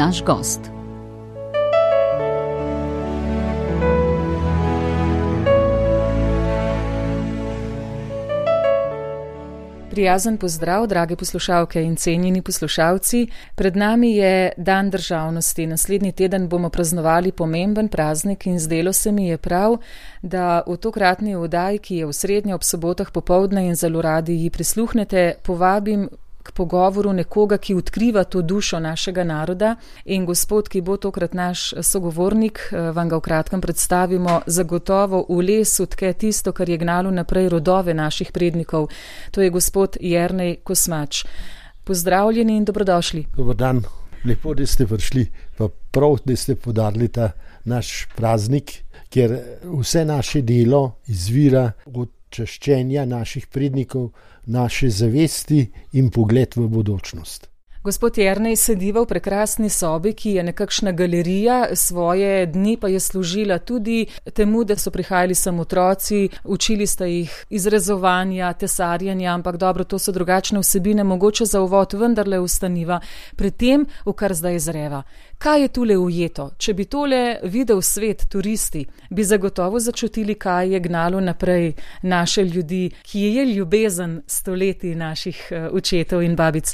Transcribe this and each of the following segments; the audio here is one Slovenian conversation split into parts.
naš gost. Prijazen pozdrav, drage poslušalke in cenjeni poslušalci. Pred nami je Dan državnosti. Naslednji teden bomo praznovali pomemben praznik in zdelo se mi je prav, da v tokratni oddaji, ki je v srednjo ob sobotah popoldne in zelo radi ji prisluhnete, povabim k pogovoru nekoga, ki odkriva to dušo našega naroda, in gospod, ki bo tokrat naš sogovornik, vam ga v kratkem predstavimo, zagotovo v lesu tke tisto, kar je gnalo naprej rodove naših prednikov. To je gospod Jernej Kosmač. Pozdravljeni in dobrodošli. Dobar dan, lepo, da ste prišli, pa prav, da ste podarili ta naš praznik, ker vse naše delo izvira od čaščenja naših prednikov, naše zavesti in pogled v bodočnost. Gospod Jernej sediva v prekrasni sobi, ki je nekakšna galerija, svoje dni pa je služila tudi temu, da so prihajali sem otroci, učili sta jih izrezovanja, tesarjanja, ampak dobro, to so drugačne vsebine, mogoče za uvod vendarle ustaniva pred tem, v kar zdaj zreva. Kaj je tule ujeto? Če bi tole videl svet, turisti, bi zagotovo začutili, kaj je gnalo naprej naše ljudi, ki je ljubezen stoletij naših očetov in babic.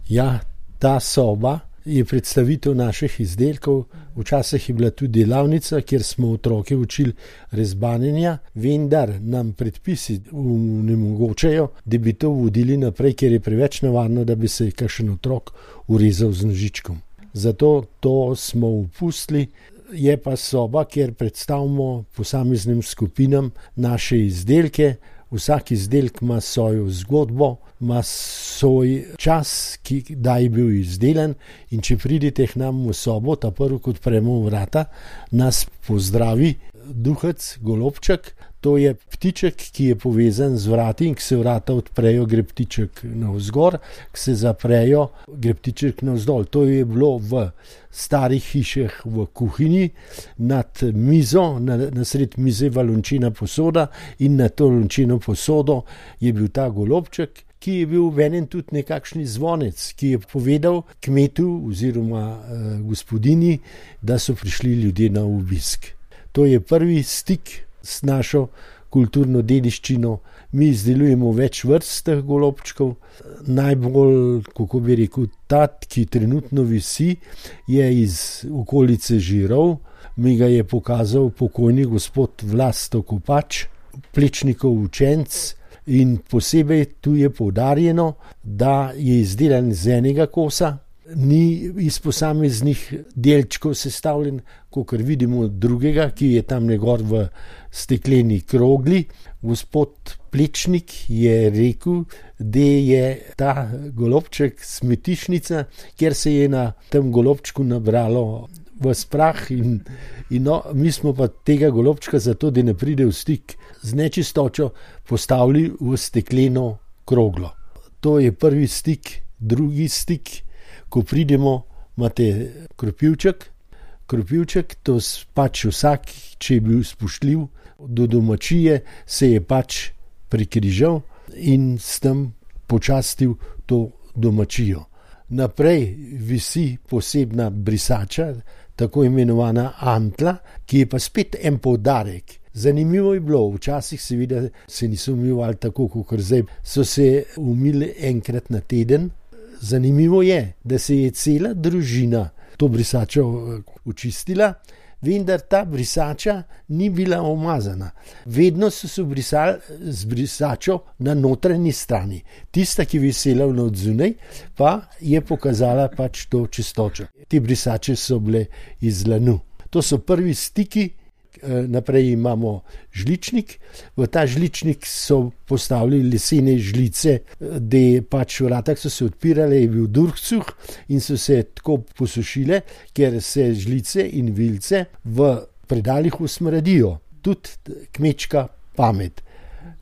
Ja, ta soba je predstavitev naših izdelkov. Včasih je bila tudi delavnica, kjer smo otroke učili rezbanjenja, vendar nam predpisi onemogočajo, da bi to vodili naprej, ker je preveč nevarno, da bi se kakšen otrok urezal z nožičkom. Zato to smo opustili. Je pa soba, kjer predstavimo posameznim skupinam naše izdelke. Vsak izdelek ima svojo zgodbo, ima svoj čas, kdaj je bil izdelan, in če pridete k nam v sobo, ta prvo, kot odpremo vrata, nas pozdravi duhec, golobček. To je ptiček, ki je povezan z vrati, in ko se vrata odprejo, gre ptiček navzgor, ko se zaprejo, gre ptiček navzdol. To je bilo v starih hišah v kuhinji, nad mizo, na sred mize je lončina posoda, in na to lončino posodo je bil ta golobček, ki je bil v enem tudi nekakšni zvonec, ki je povedal kmetu oziroma gospodini, da so prišli ljudje na obisk. To je prvi stik s našo kulturno dediščino. Mi izdelujemo več vrst teh golobčkov. Najbolj, kako bi rekel, ta, ki trenutno visi, je iz okolice Žirov. Mi ga je pokazal pokojni gospod Vlasto Kopač, Plečnikov učenec, in posebej tu je poudarjeno, da je izdelan z enega kosa, ni iz posameznih delčkov sestavljen, kakor vidimo drugega, ki je tam gor v stekleni krogli. Gospod Plečnik je rekel, da je ta golobček smetišnica, ker se je na tem golobčku nabralo v prah in no, mi smo pa tega golobčka zato, da ne pride v stik z nečistočo, postavili v stekleno kroglo. To je prvi stik. Drugi stik, ko pridemo, imate kropivček, to pač vsak, če je bil spoštljiv do domačije, se je pač prikrižal in s tem počastil to domačijo. Naprej visi posebna brisača, tako imenovana antla, ki je pa spet en poudarek. Zanimivo je bilo, včasih seveda se niso umivali tako, kot zdaj, so se umili enkrat na teden. Zanimivo je, da se je cela družina to brisačo očistila, vendar ta brisača ni bila umazana. Vedno so se brisali z brisačo na notranji strani. Tista, ki je visela od zunaj, pa je pokazala pač to čistočo. Te brisače so bile iz lanu. To so prvi stiki. Naprej imamo žličnik. V ta žličnik so postavili lesene žlice, da pač vrata so se odpirale, je bil durhcuh in so se tako posušile, ker se žlice in vilce v predalih usmradijo. Tudi kmečka pamet.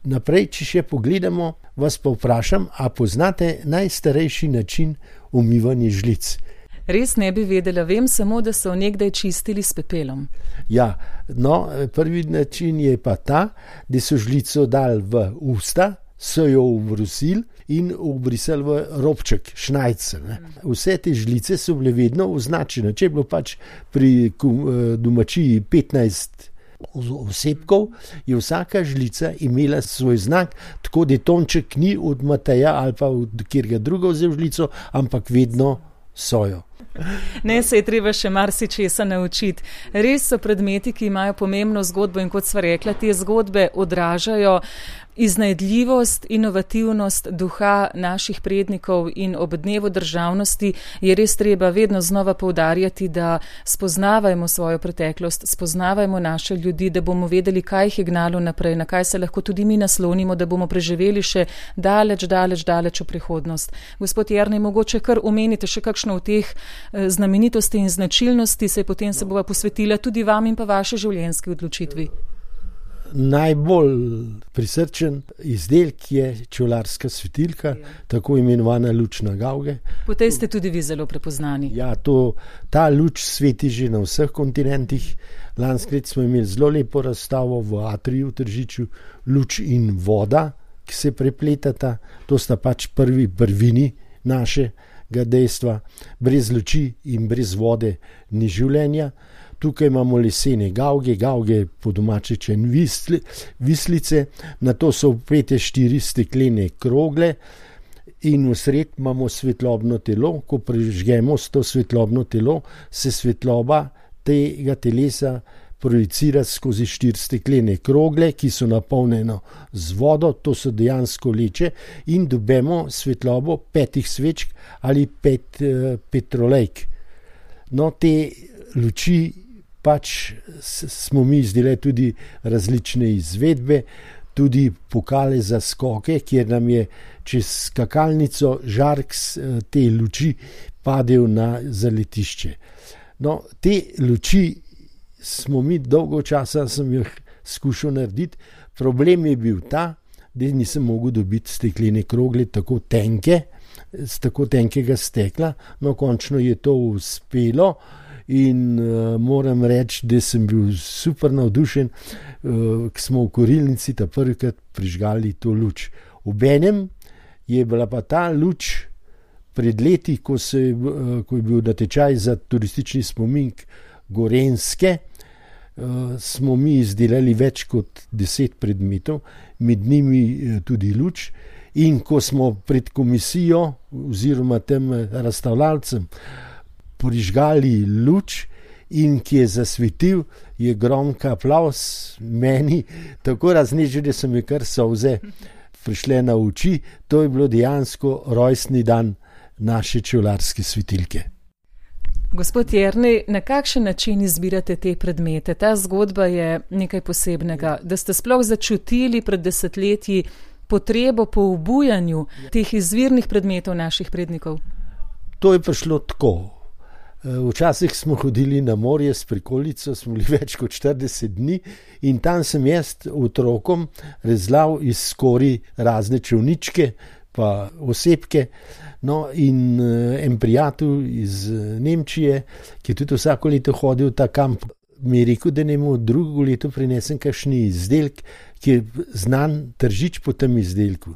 Naprej, če še pogledamo, vas pa vprašam, a poznate najstarejši način umivanja žlic? Res ne bi vedela, vem samo, da so nekdaj čistili s pepelom. Ja, no, prvi način je pa ta, da so žlico dali v usta, so jo ubrusili in obrisali v robček, šnajce. Vse te žlice so bile vedno označene. Če je bilo pač pri domačiji 15 osebkov, je vsaka žlica imela svoj znak, tako da Tonček ni od Mateja ali pa od kjerga druga vzel žlico, ampak vedno sojo. Ne, se je treba še marsičesa naučiti. Res so predmeti, ki imajo pomembno zgodbo in kot sva rekla, te zgodbe odražajo iznajdljivost, inovativnost duha naših prednikov in ob dnevu državnosti je res treba vedno znova poudarjati, da spoznavajmo svojo preteklost, spoznavajmo naše ljudi, da bomo vedeli, kaj jih je gnalo naprej, na kaj se lahko tudi mi naslonimo, da bomo preživeli še daleč v prihodnost. Gospod Jernej, mogoče kar omenite še kakšno od teh znamenitosti in značilnosti, potem se bova posvetila tudi vam in pa vaše življenjski odločitvi. Najbolj prisrčen izdelek je čevljarska svetilka, tako imenovana luč na gavge. Po tej ste tudi vi zelo prepoznani. Ja, ta luč sveti že na vseh kontinentih. Lansko leto smo imeli zelo lepo razstavo v Atriju v Tržiču, luč in voda, ki se prepletata. To sta pač prvini našega dejstva. Brez luči in brez vode ni življenja. Tukaj imamo lesene gavge po domače vislice, na to so vpete 4 steklene krogle in v sred imamo svetlobno telo. Ko prižgemo to svetlobno telo, se svetloba tega telesa projicira skozi 4 steklene krogle, ki so napolnjene z vodo, to so dejansko leče in dobimo svetlobo 5 svečk ali 5 petrolejk. No, te luči pač smo mi izdelali tudi različne izvedbe, tudi pokale za skoke, kjer nam je čez skakalnico žark te luči padel na zaletišče. No, te luči smo mi dolgo časa, sem jih skušal narediti. Problem je bil ta, da nisem mogel dobiti steklene krogle tako tenke, z tako tenkega stekla. No, končno je to uspelo. In moram reči, da sem bil super navdušen, ko smo v Korilnici ta prvikrat prižgali to luč. Obenem je bila pa ta luč pred leti, ko je bil natečaj za turistični spomenik Gorenjske, smo mi izdelali več kot 10 predmetov, med njimi tudi luč. In ko smo pred komisijo oziroma tem razstavljalcem prižgali luč in ki je zasvetil, je gromka aplavz meni tako raznežil, da so mi kar solze prišle na oči. To je bilo dejansko rojstni dan naše čevljarske svetilke. Gospod Jernej, na kakšen način izbirate te predmete? Ta zgodba je nekaj posebnega, da ste sploh začutili pred desetletji potrebo po obujanju teh izvirnih predmetov naših prednikov. To je prišlo tako. Včasih smo hodili na morje s prikolico, smo bili več kot 40 dni in tam sem jaz otrokom rezlal iz skori razne čevničke pa osebke. No, in en prijatelj iz Nemčije, ki je tudi vsako leto hodil v ta kamp, mi je rekel, da nemo drugo leto prinesem kakšni izdelek, ki je znan Tržič po tem izdelku.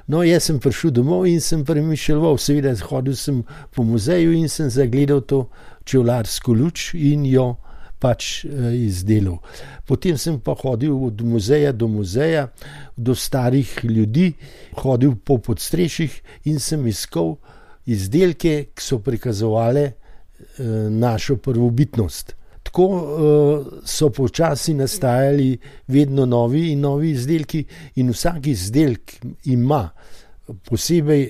No, jaz sem prišel domov in sem premišljeval, seveda hodil sem po muzeju in sem zagledal to čevljarsko luč in jo pač izdelal. Potem sem pa hodil od muzeja do muzeja, do starih ljudi, hodil po podstrešjih in sem iskal izdelke, ki so prikazovali našo prvobitnost. Tako so počasi nastajali vedno novi in novi izdelki in vsak izdelek ima posebej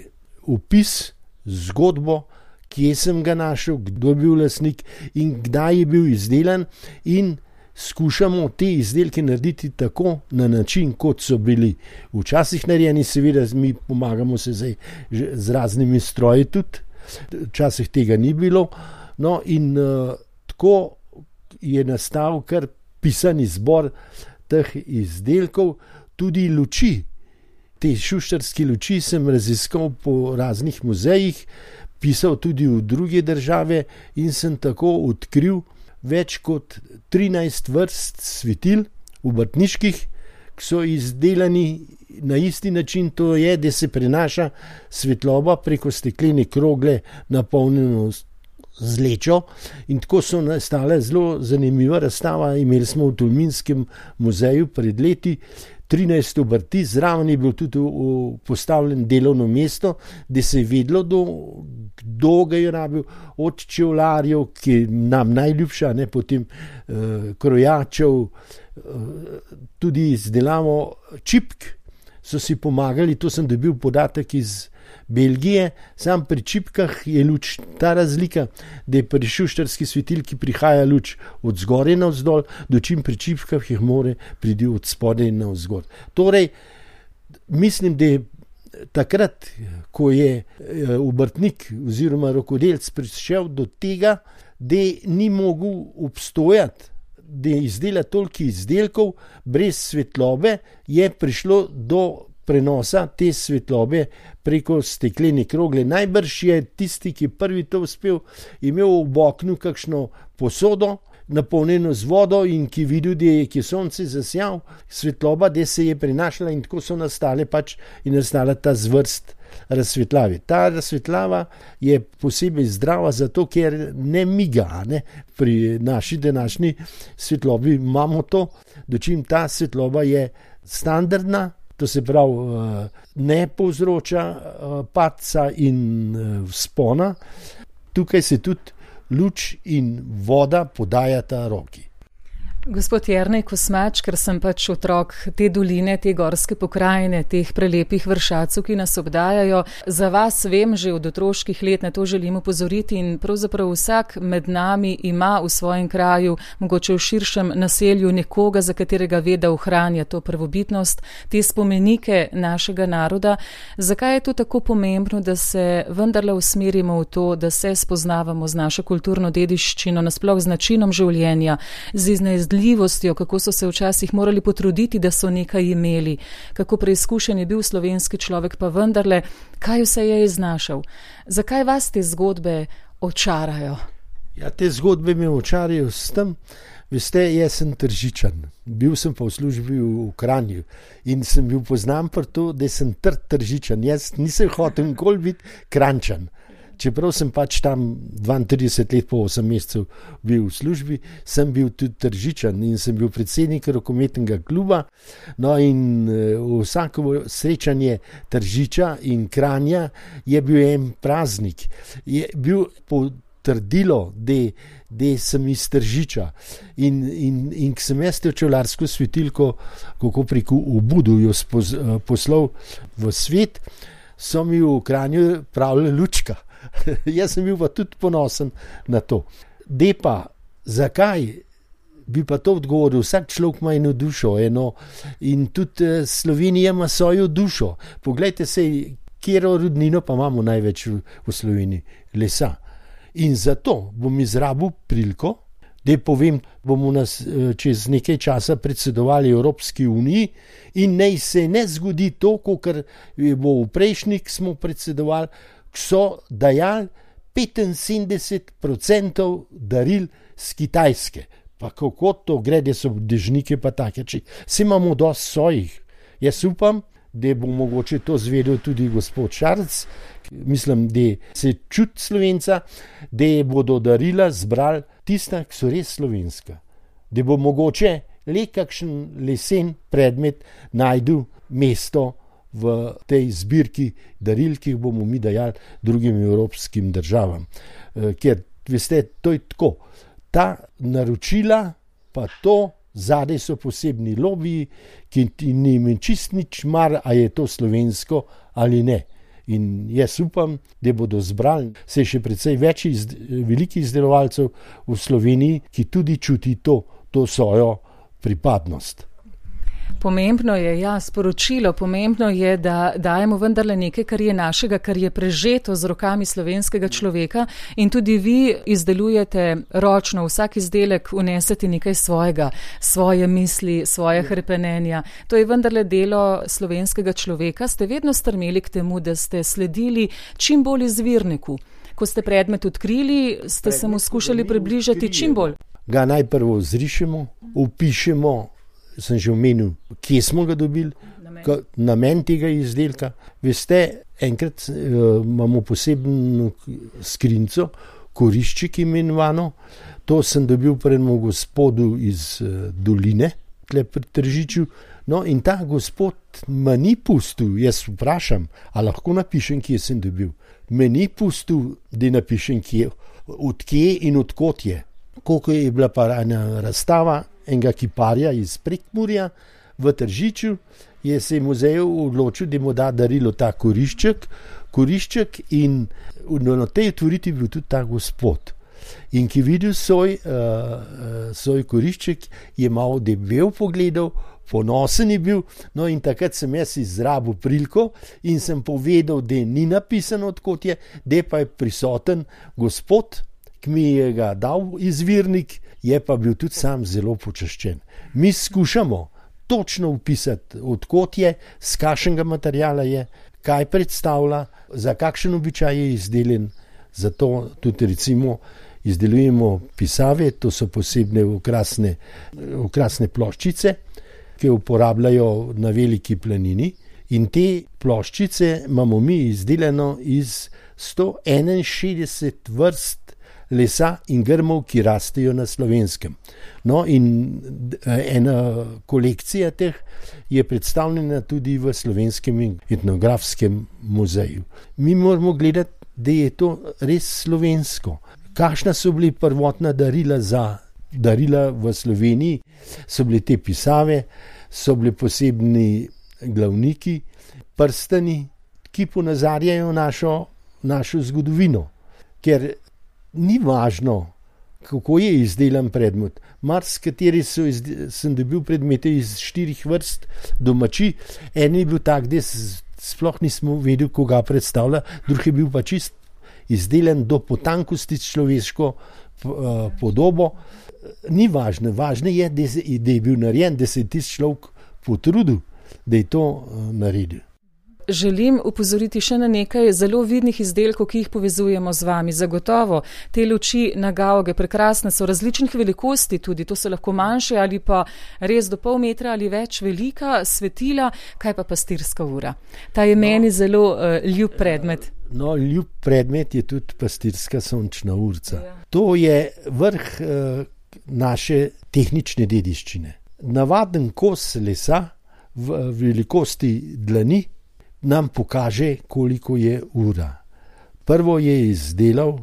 opis, zgodbo, kje sem ga našel, kdo je bil lastnik in kdaj je bil izdelan, in skušamo te izdelke narediti tako na način, kot so bili včasih narejeni. Seveda mi pomagamo se zdaj z raznimi stroji tudi, včasih tega ni bilo. No, in tako je nastal kar pisani zbor teh izdelkov, tudi luči. Te šuštarske luči sem raziskal po raznih muzejih, pisal tudi v druge države in sem tako odkril več kot 13 vrst svetil obrtniških, ki so izdelani na isti način to je, da se prenaša svetloba preko steklene krogle napolnjeno z lečo in tako so nastale zelo zanimiva razstava. Imeli smo v Tolminskem muzeju pred leti 13 obrti, zraven je bil tudi postavljen delovno mesto, da se je vedlo, kdo ga je rabil, od čevlarjev, ki je nam najljubša, potem krojačev, tudi izdelavo čipk so si pomagali, to sem dobil podatek iz Belgije, sam pri čipkah je luč ta razlika, da je pri šuštarski svetilki prihaja luč od zgoraj navzdol, dočim pri čipkah jih more priti od spodaj navzgor. Torej, mislim, da je takrat, ko je obrtnik oziroma rokodelec prišel do tega, da ni mogel obstojati, da izdela toliko izdelkov brez svetlobe, je prišlo do prenosa te svetlobe preko steklene krogle. Najbrž je tisti, ki prvi to uspel, imel v oknu kakšno posodo, napolnjeno z vodo in ki videl, da je sonce zasjal, svetloba, da se je prenašala in tako so nastala ta zvrst razsvetljave. Ta razsvetljava je posebej zdrava zato, ker ne miga. Pri naši današnji svetlobi imamo to, dočim ta svetloba je standardna, to se pravi ne povzroča padca in vzpona. Tukaj se tudi luč in voda podajata roki. Gospod Jernej Kosmač, ker sem pač otrok te doline, te gorske pokrajine, teh prelepih vršacov, ki nas obdajajo, za vas vem že od otroških let, na to želim opozoriti in pravzaprav vsak med nami ima v svojem kraju, mogoče v širšem naselju, nekoga, za katerega ve, da ohranja to prvobitnost, te spomenike našega naroda. Zakaj je to tako pomembno, da se vendarle usmerimo v to, da se spoznavamo z našo kulturno dediščino, nasploh z načinom življenja, z iznajdljivostjo, kako so se včasih morali potruditi, da so nekaj imeli, kako preizkušen je bil slovenski človek, pa vendarle, kaj vse je iznašal. Zakaj vas te zgodbe očarajo? Ja, te zgodbe me očarajo s tem, veste, jaz sem Tržičan, bil sem pa v službi v Kranju in sem bil poznan pri to, da sem Tržičan, jaz nisem hotel nikoli biti Kranjčan. Čeprav sem pač tam 32 let po 8 mesecev bil v službi, sem bil tudi Tržičan in sem bil predsednik rokometnega kluba. No in vsako srečanje Tržiča in Kranja je bil en praznik. Je bil potrdilo, da sem iz Tržiča in ko sem jaz te čevljarsko svetilko, kako preko Ubudu jo poslal v svet, so mi v Kranju pravili lučka. Jaz sem bil pa tudi ponosen na to. Pa, zakaj bi pa to odgovoril? Vsak človek ima eno dušo, in tudi Slovenija ima svojo dušo. Poglejte se, katero rudnino pa imamo največ v Sloveniji? Lesa. In zato bom izrabil priliko, da povem, bomo čez nekaj časa predsedovali Evropski uniji in naj se ne zgodi to, kot bo v prejšnjih smo predsedovali, so dajali 75% daril z Kitajske. Pa kako to gre, da so dežnike pa take, vsi imamo dosti svojih. Jaz upam, da bo mogoče to zvedel tudi gospod Šarc, mislim, da se čuti Slovenca, da bodo darila zbrali tista, ki so res slovenska. Da bo mogoče le kakšen lesen predmet najdel mesto v tej zbirki daril, ki jih bomo mi dajali drugim evropskim državam. Ker, veste, to je tako. Ta naročila, pa to, zadaj so posebni lobiji, ki ni jim čist nič mar, a je to slovensko ali ne. In jaz upam, da bodo zbrali, se je še precej več velikih izdelovalcev v Sloveniji, ki tudi čuti to svojo pripadnost. Pomembno je, sporočilo, pomembno je, da dajemo vendarle nekaj, kar je našega, kar je prežeto z rokami slovenskega človeka in tudi vi izdelujete ročno, vsak izdelek vnesete nekaj svojega, svoje misli, svoje hrepenenja. To je vendarle delo slovenskega človeka. Ste vedno strmeli k temu, da ste sledili čim bolj izvirniku. Ko ste predmet odkrili, ste se mu skušali približati čim bolj. Ga najprvo zrišemo, opišemo, sem že omenil, kje smo ga dobili, namen tega izdelka. Veste, enkrat imamo posebno skrinjico, korišček imenovano. To sem dobil pri enem gospodu iz doline, tle pri Tržiču. No, in ta gospod me ni pustil, jaz vprašam, a lahko napišem, kje sem dobil. Me ni pustil, da napišem, od kje in od kot je. Koliko je bila pa ena razstava enega kiparja iz Prekmurja v Tržiču, se je muzej odločil, da mu da darilo ta korišček in na tej otvoriti bil tudi ta gospod. In ki videl svoj korišček, je malo debel pogledal, ponosen je bil, no in takrat sem jaz izrabil priliko in sem povedal, da ni napisano, odkot je, da pa je prisoten gospod, ki mi je ga dal izvirnik, je pa bil tudi sam zelo počaščen. Mi skušamo točno upisati, odkot je, z kakšnega materiala je, kaj predstavlja, za kakšen običaj je izdelan, zato tudi recimo izdelujemo pisave, to so posebne okrasne ploščice, ki uporabljajo na veliki planini, in te ploščice imamo mi izdelano iz 161 vrst lesa in grmov, ki rastejo na Slovenskem. No, in ena kolekcija teh je predstavljena tudi v Slovenskem etnografskem muzeju. Mi moramo gledati, da je to res slovensko. Kakšna so bili prvotna darila v Sloveniji, so bile te pisave, so bile posebni glavniki, prstani, ki ponazarjajo našo zgodovino. Ker ni važno, kako je izdelan predmet. Marsikateri sem dobil predmete iz 4 vrst domači, en je bil tak, da sploh nismo vedeli, koga predstavlja, drug je bil pa čist izdelan do potankosti človeško podobo. Ni važno, važno je, da je bil narejen, da se je tisti človek potrudil, da je to naredil. Želim upozoriti še na nekaj zelo vidnih izdelkov, ki jih povezujemo z vami. Zagotovo te luči na Gauge, prekrasne so, različnih velikosti tudi, to so lahko manjše ali pa res do pol metra ali več velika svetila. Kaj pa pastirska ura? Ta je meni zelo ljub predmet. No, ljub predmet je tudi pastirska sončna urca. Ja. To je vrh naše tehnične dediščine. Navaden kos lesa v velikosti dlani nam pokaže, koliko je ura. Prvo je izdelal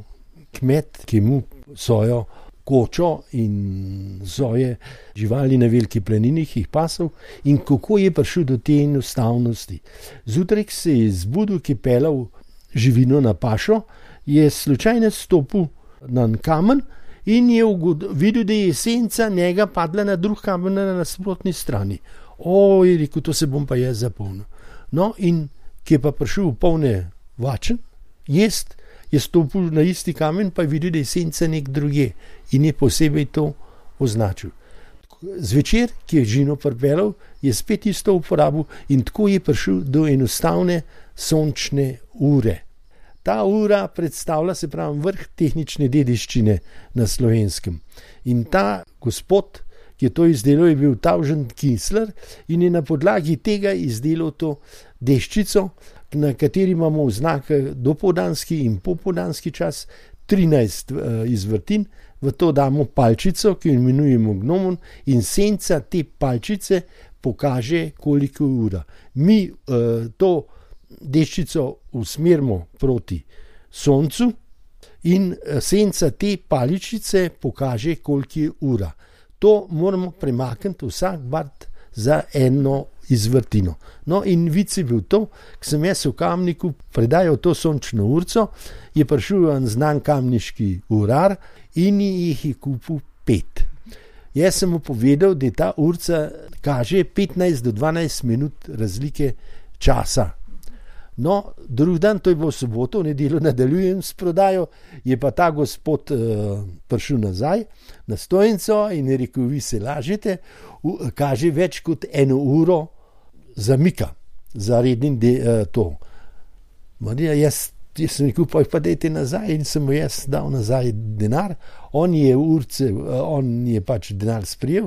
kmet, ki mu svojo kočo in svoje živali na veliki planini jih pasal, in kako je prišel do te enostavnosti. Zjutraj se je zbudil, ki je pelal živino na pašo, je slučajno stopil na kamen in je videl, da je senca njega padla na drug kamen na nasprotni strani. Je rekel, to se bom pa jaz zapomnil. No, in ki je pa prišel v polne vačen, je stopil na isti kamen, pa je videl, da je senca nek druge in je posebej to označil. Zvečer, ki je žino pripelal, je spet isto uporabil in tako je prišel do enostavne sončne ure. Ta ura predstavlja, se pravi, vrh tehnične dediščine na Slovenskem. In ta gospod, ki je to izdelal, je bil Tavžen Kinsler in je na podlagi tega izdelal to deščico, na kateri imamo oznake dopoldanski in popoldanski čas, 13 izvrtin, v to damo palčico, ki jo imenujemo gnomon, in senca te palčice pokaže, koliko je ura. Mi to deščico usmerimo proti soncu in senca te paličice pokaže, koliko je ura. To moramo premakniti vsak bart za eno izvrtino. No, in vic je bil to, ko sem jaz v Kamniku predajal to sončno urco, je prišel en znan kamniški urar in jih je kupil 5. Jaz sem mu povedal, da ta urca kaže 15 do 12 minut razlike časa. No, drug dan, to je bilo v soboto, v nedeljo nadaljujem s prodajo, je pa ta gospod prišel nazaj na stojnico in je rekel, vi se lažete, kaže več kot 1 uro zamika za rednim to. Jaz sem rekel, pa dajte nazaj, in sem mu jaz dal nazaj denar, on je pač denar sprijel,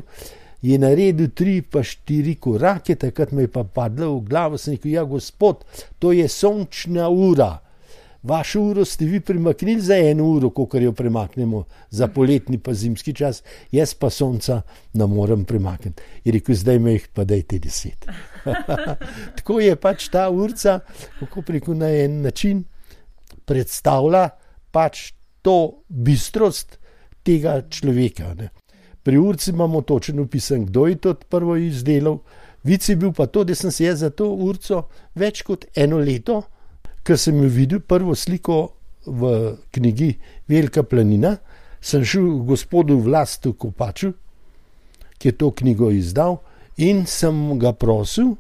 je naredil 3 pa 4 korake, takrat me je pa padlo v glavo, sem rekel, ja, gospod, to je sončna ura. Vašo uro ste vi premaknili za 1 uro, kolikor jo premaknemo za poletni pa zimski čas, jaz pa sonca ne morem premakniti. Je rekel, zdaj me jih pa dajte 10. Tako je pač ta urca, kako preko na en način predstavlja pač to bistrost tega človeka. Ne. Pri urci imamo točno opisan, kdo je to prvo izdelal. Vic je bil pa to, da sem se jaz za to urco več kot 1 leto, ker sem jo videl prvo sliko v knjigi Velika planina, sem šel gospodu Vlastu Kopaču, ki je to knjigo izdal, in sem ga prosil,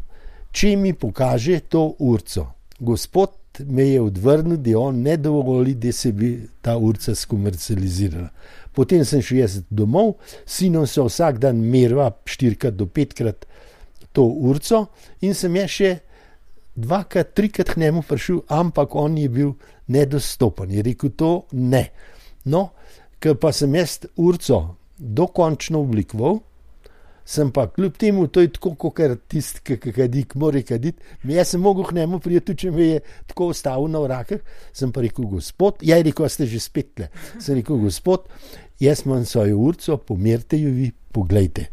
če mi pokaže to urco. Gospod me je odvrnil, da on ne dovoli, da se bi ta urca skomercializirala. Potem sem šel jaz domov, sinom so vsak dan merila 4 do 5 to urco in sem jaz še 2-3 k njemu prišel, ampak on je bil nedostopen. Je rekel, to ne. No, ker pa sem jaz urco dokončno oblikoval, sem pa kljub temu, to je tako, kot tisti, ki kadi, ki mora kaditi, jaz sem mogel k njemu prijeti, če me je tako ostavil na vrakah, sem pa rekel, gospod, ja je rekel, ste že spet tle. Sem rekel, gospod, jaz imam svojo urco, pomerite jo vi, poglejte.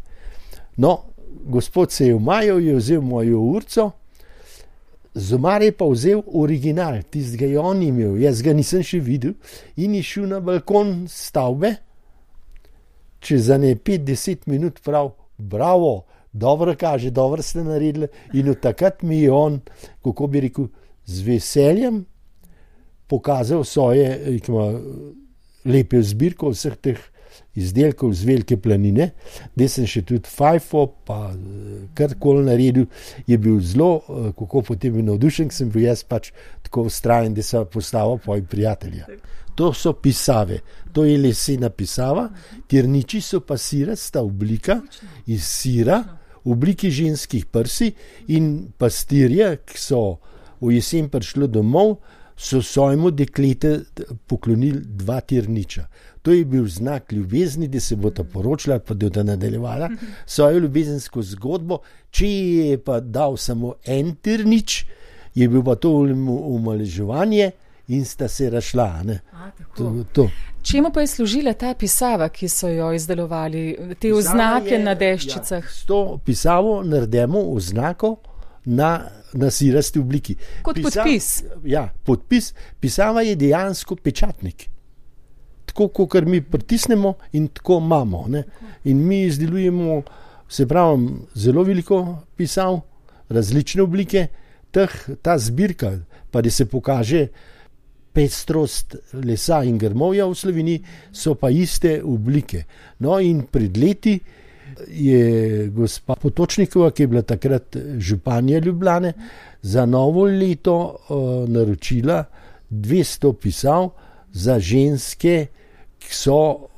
No, gospod se je umajal, je vzel mojo urco, z omare je pa vzel original, tistega je on imel, jaz ga nisem še videl, in je šel na balkon stavbe, čez 5-10 minut prav, bravo, dobro kaže, dobro ste naredili, in od takrat mi je on, kako bi rekel, z veseljem pokazal svoje lepe zbirko vseh teh izdelkov z Velike planine, da sem še tudi fajfo, pa karkoli naredil, je bil zelo, kako potem je navdušen, sem bil jaz pač tako vztrajen, da sem postavil pojem prijatelja. To so pisave, to je lesena pisava, tirniči so pa sirasta oblika iz sira, v obliki ženskih prsi, in pastirje, ki so v jesen prišli domov, so svojemu deklete poklonili 2 tirniča. To je bil znak ljubezni, da se bo ta poročila, pa da bo nadaljevala svojo ljubezensko zgodbo. Če je pa dal samo 1 tirnič, je bil pa to omalovaževanje in sta se razšla. Čemu pa je služila ta pisava, ki so jo izdelovali, te oznake na deščicah? Ja, s to pisavo naredimo oznako na sirasti obliki. Kot podpis? Ja, podpis. Pisava je dejansko pečatnik. Tako, kot mi pritisnemo in tako imamo. Ne? In mi izdelujemo, se pravi, zelo veliko pisav, različne oblike, ta zbirka, pa da se pokaže pestrost lesa in grmovja v Sloveniji, so pa iste oblike. No in pred leti je gospa Potočnikova, ki je bila takrat županja Ljubljane, za novo leto naročila 200 pisav za ženske, ki so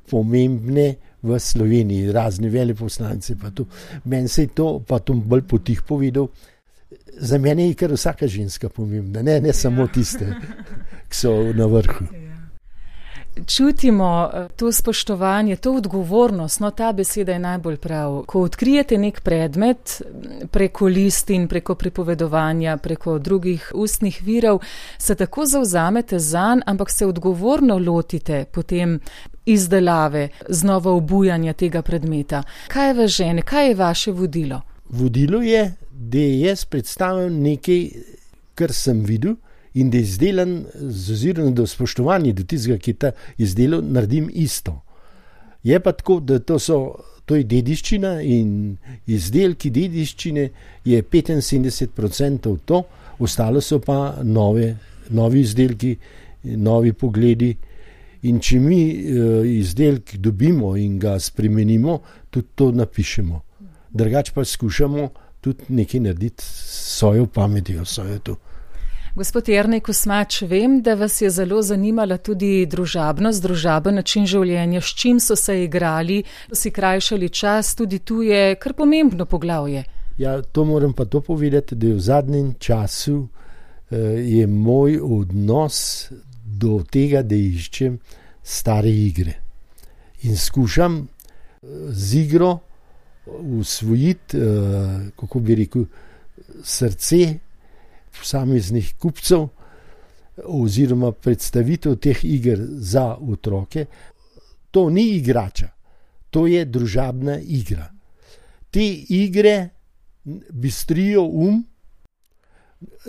pomembne v Sloveniji, razni veleposlanci. Meni se je to pa to bolj potih povedal. Za mene je kar vsaka ženska pomembna, ne samo tiste, ki so na vrhu. Čutimo to spoštovanje, to odgovornost, no ta beseda je najbolj prav. Ko odkrijete nek predmet preko listin, preko pripovedovanja, preko drugih ustnih virov, se tako zavzamete zanj, ampak se odgovorno lotite potem izdelave, znova obujanja tega predmeta. Kaj vas žene, kaj je vaše vodilo? Vodilo je, da jaz predstavljam nekaj, kar sem videl, in da izdelam z ozirom do spoštovanja do tistega, ki ta izdelal, naredim isto. Je pa tako, da to je dediščina in izdelki dediščine je 75% to, ostalo so pa novi izdelki, novi pogledi, in če mi izdelk dobimo in ga spremenimo, tudi to napišemo. Drugače pa skušamo tudi nekaj narediti s svojo pametjo, svojo to. Gospod Jernej Kosmač, vem, da vas je zelo zanimala tudi družabnost, družaben način življenja, s čim so se igrali, si krajšali čas, tudi tu je kar pomembno poglavje. Ja, to moram pa to povedati, da v zadnjem času je moj odnos do tega, da iščem stare igre. In skušam z igro usvojiti, kako bi rekel, srce posameznih kupcev oziroma predstavitev teh iger za otroke. To ni igrača, to je družabna igra. Te igre bistrijo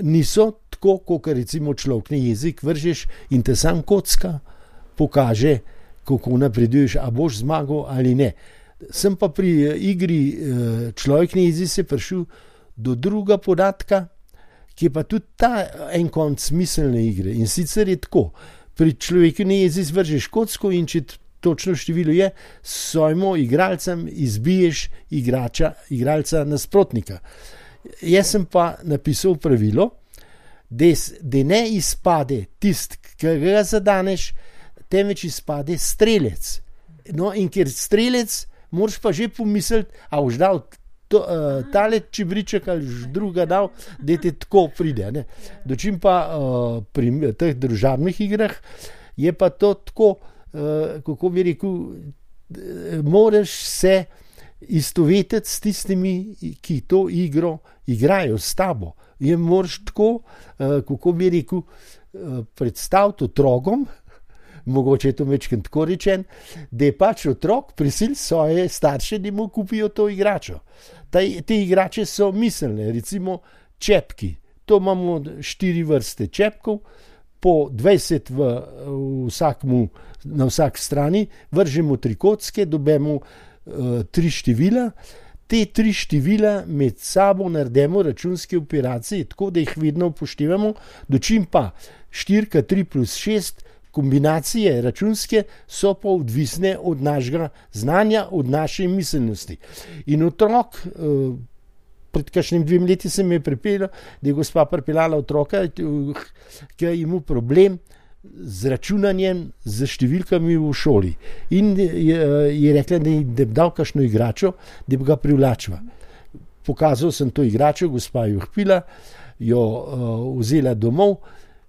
niso tako, kot recimo človekni jezik vržeš in te sam kocka pokaže, kako napreduješ, a boš zmagal ali ne. Sem pa pri igri človekni jezik se prišel do druga podatka, ki je pa tudi ta en konc smiselne igre. In sicer je tako, pri človekni jezik vržeš kocko in če točno število je, svojemu igralcem izbiješ igralca nasprotnika. Jaz sem pa napisal pravilo, da ne izpade tist, ki ga zadaneš, temveč izpade strelec. No, in ker strelec, moraš pa že pomisliti, a boš dal tale čibriček ali druga dal, da te tako pride. Ne? Dočim pa pri teh družabnih igrah je pa to tako, kako bi rekel, moraš se istovetiti s tistimi, ki to igro igrajo s tabo. Je moraš tako, kako bi rekel, predstaviti otrokom, mogoče je to večkrat tako rečen, da je pač otrok prisil svoje starše, da mu kupijo to igračo. Te igrače so miselne, recimo čepki. To imamo 4 vrste čepkov, po 20 na vsak strani, vržemo 3 kocke, dobimo 3 števila. Te 3 števila med sabo naredimo računske operacije, tako da jih vedno upoštevamo, dočim pa 4, 3 plus 6 kombinacije računske so pa odvisne od našega znanja, od naše miselnosti. In otrok, pred kakšnim 2 leti se mi je pripeljalo, da je gospa pripeljala otroka, ki je imel problem z računanjem, z številkami v šoli. In je rekla, da bi dal kakšno igračo, da bi ga privlačila. Pokazal sem to igračo, gospa jo vpila, jo vzela domov,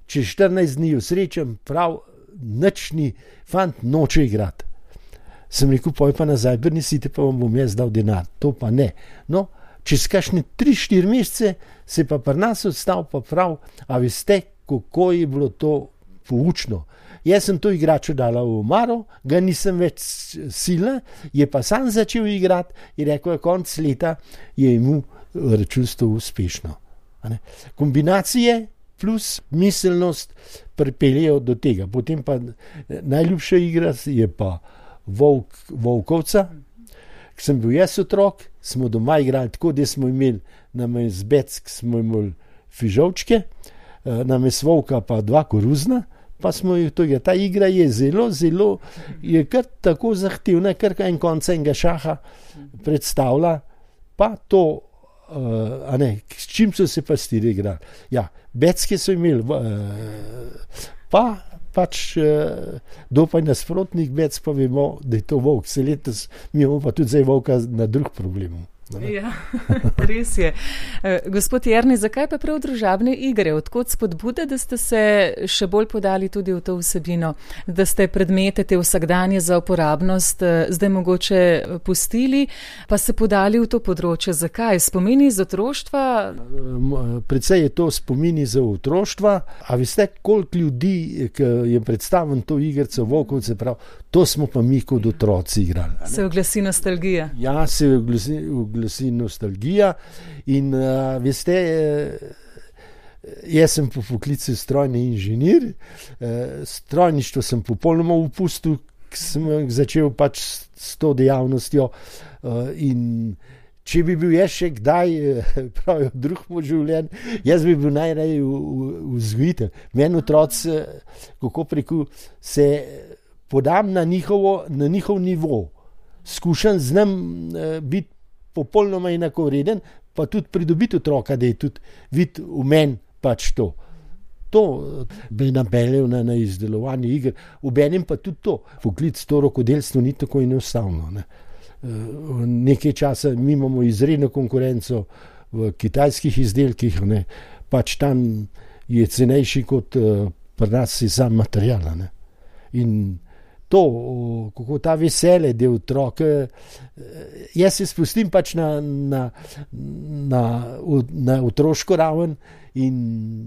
čez 14 dni jo srečam, prav nični fant noče igrati. Sem rekel, poj pa nazaj, prinesite, pa vam bom jaz dal denar. To pa ne. No, čez kakšne 3-4 mesece se pa pri nas odstal pa prav, a veste, kako je bilo to poučno. Jaz sem to igračo dala v omaro, ga nisem več silna, je pa sam začel igrati in rekel, konec leta je imel računstvo uspešno. Kombinacije plus miselnost pripeljejo do tega. Potem pa najljubša igra je pa Volkovca. Ko sem bil jaz otrok, smo doma igrali tako, da smo imeli namesto beck, smo imeli fižolčke, namesto volka pa 2 koruzna, pa smo jo to igrali. Ta igra je zelo, je kar tako zahtevna, kar en konec enega šaha predstavlja, pa to, s čim so se pa stiri igrali. Ja, becke so imeli, pa pač dopaj nasprotnih bec, pa vemo, da je to volk. Se letos mi imamo pa tudi zdaj volka na drug problem. Ja, res je. Gospod Jernej, zakaj pa prav družabne igre? Odkot spodbuda, da ste se še bolj podali tudi v to vsebino, da ste predmete te vsakdanje za uporabnost zdaj mogoče pustili, pa se podali v to področje? Zakaj? Spomini iz otroštva? Predvsej je to spomini za otroštva, a veste, koliko ljudi, ki je predstavljen to igrico Volkovce, prav, to smo pa mi kot otroci igrali. Se oglasi nostalgija. Ja, se oglasi nostalgija in veste, jaz sem po poklicu strojni inženir, strojništvo sem popolnoma opustil, sem začel pač s to dejavnostjo in če bi bil jaz še kdaj pravijo drug moj življenj, jaz bi bil najraje vzgojitelj. Meni otroci, kako preko se podam na njihov nivo, skušam z njim biti popolnoma enakovreden, pa tudi pridobiti otroka, da je tudi videti v meni pač to. To bi napeljal na izdelovanje iger, obenem pa tudi to. Poklic to rokodelstvo ni tako enostavno. Nekaj časa mi imamo izredno konkurenco v kitajskih izdelkih, pač tam je cenejši kot pri nas je sam material. In to, kako ta veselje, da otroke, jaz se spustim pač na otroško raven in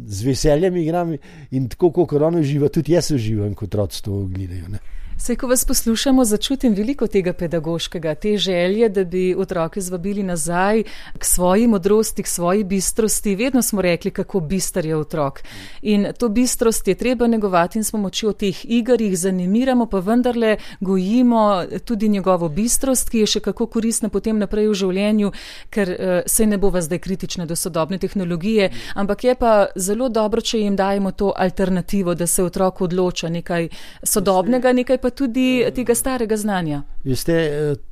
z veseljem igram in tako, kot oni uživa, tudi jaz uživam, kot otroci to gledajo, ne. Saj, ko vas poslušamo, začutim veliko tega pedagoškega, te želje, da bi otroke zvabili nazaj k svoji modrosti, k svoji bistrosti. Vedno smo rekli, kako bister je otrok. In to bistrost je treba negovati in s pomočjo teh iger jih zanimiramo, pa vendarle gojimo tudi njegovo bistrost, ki je še kako koristna potem naprej v življenju, ker se ne bova zdaj kritična do sodobne tehnologije, ampak je pa zelo dobro, če jim dajemo to alternativo, da se otrok odloča nekaj sodobnega, nekaj pa tudi tega starega znanja. Veste,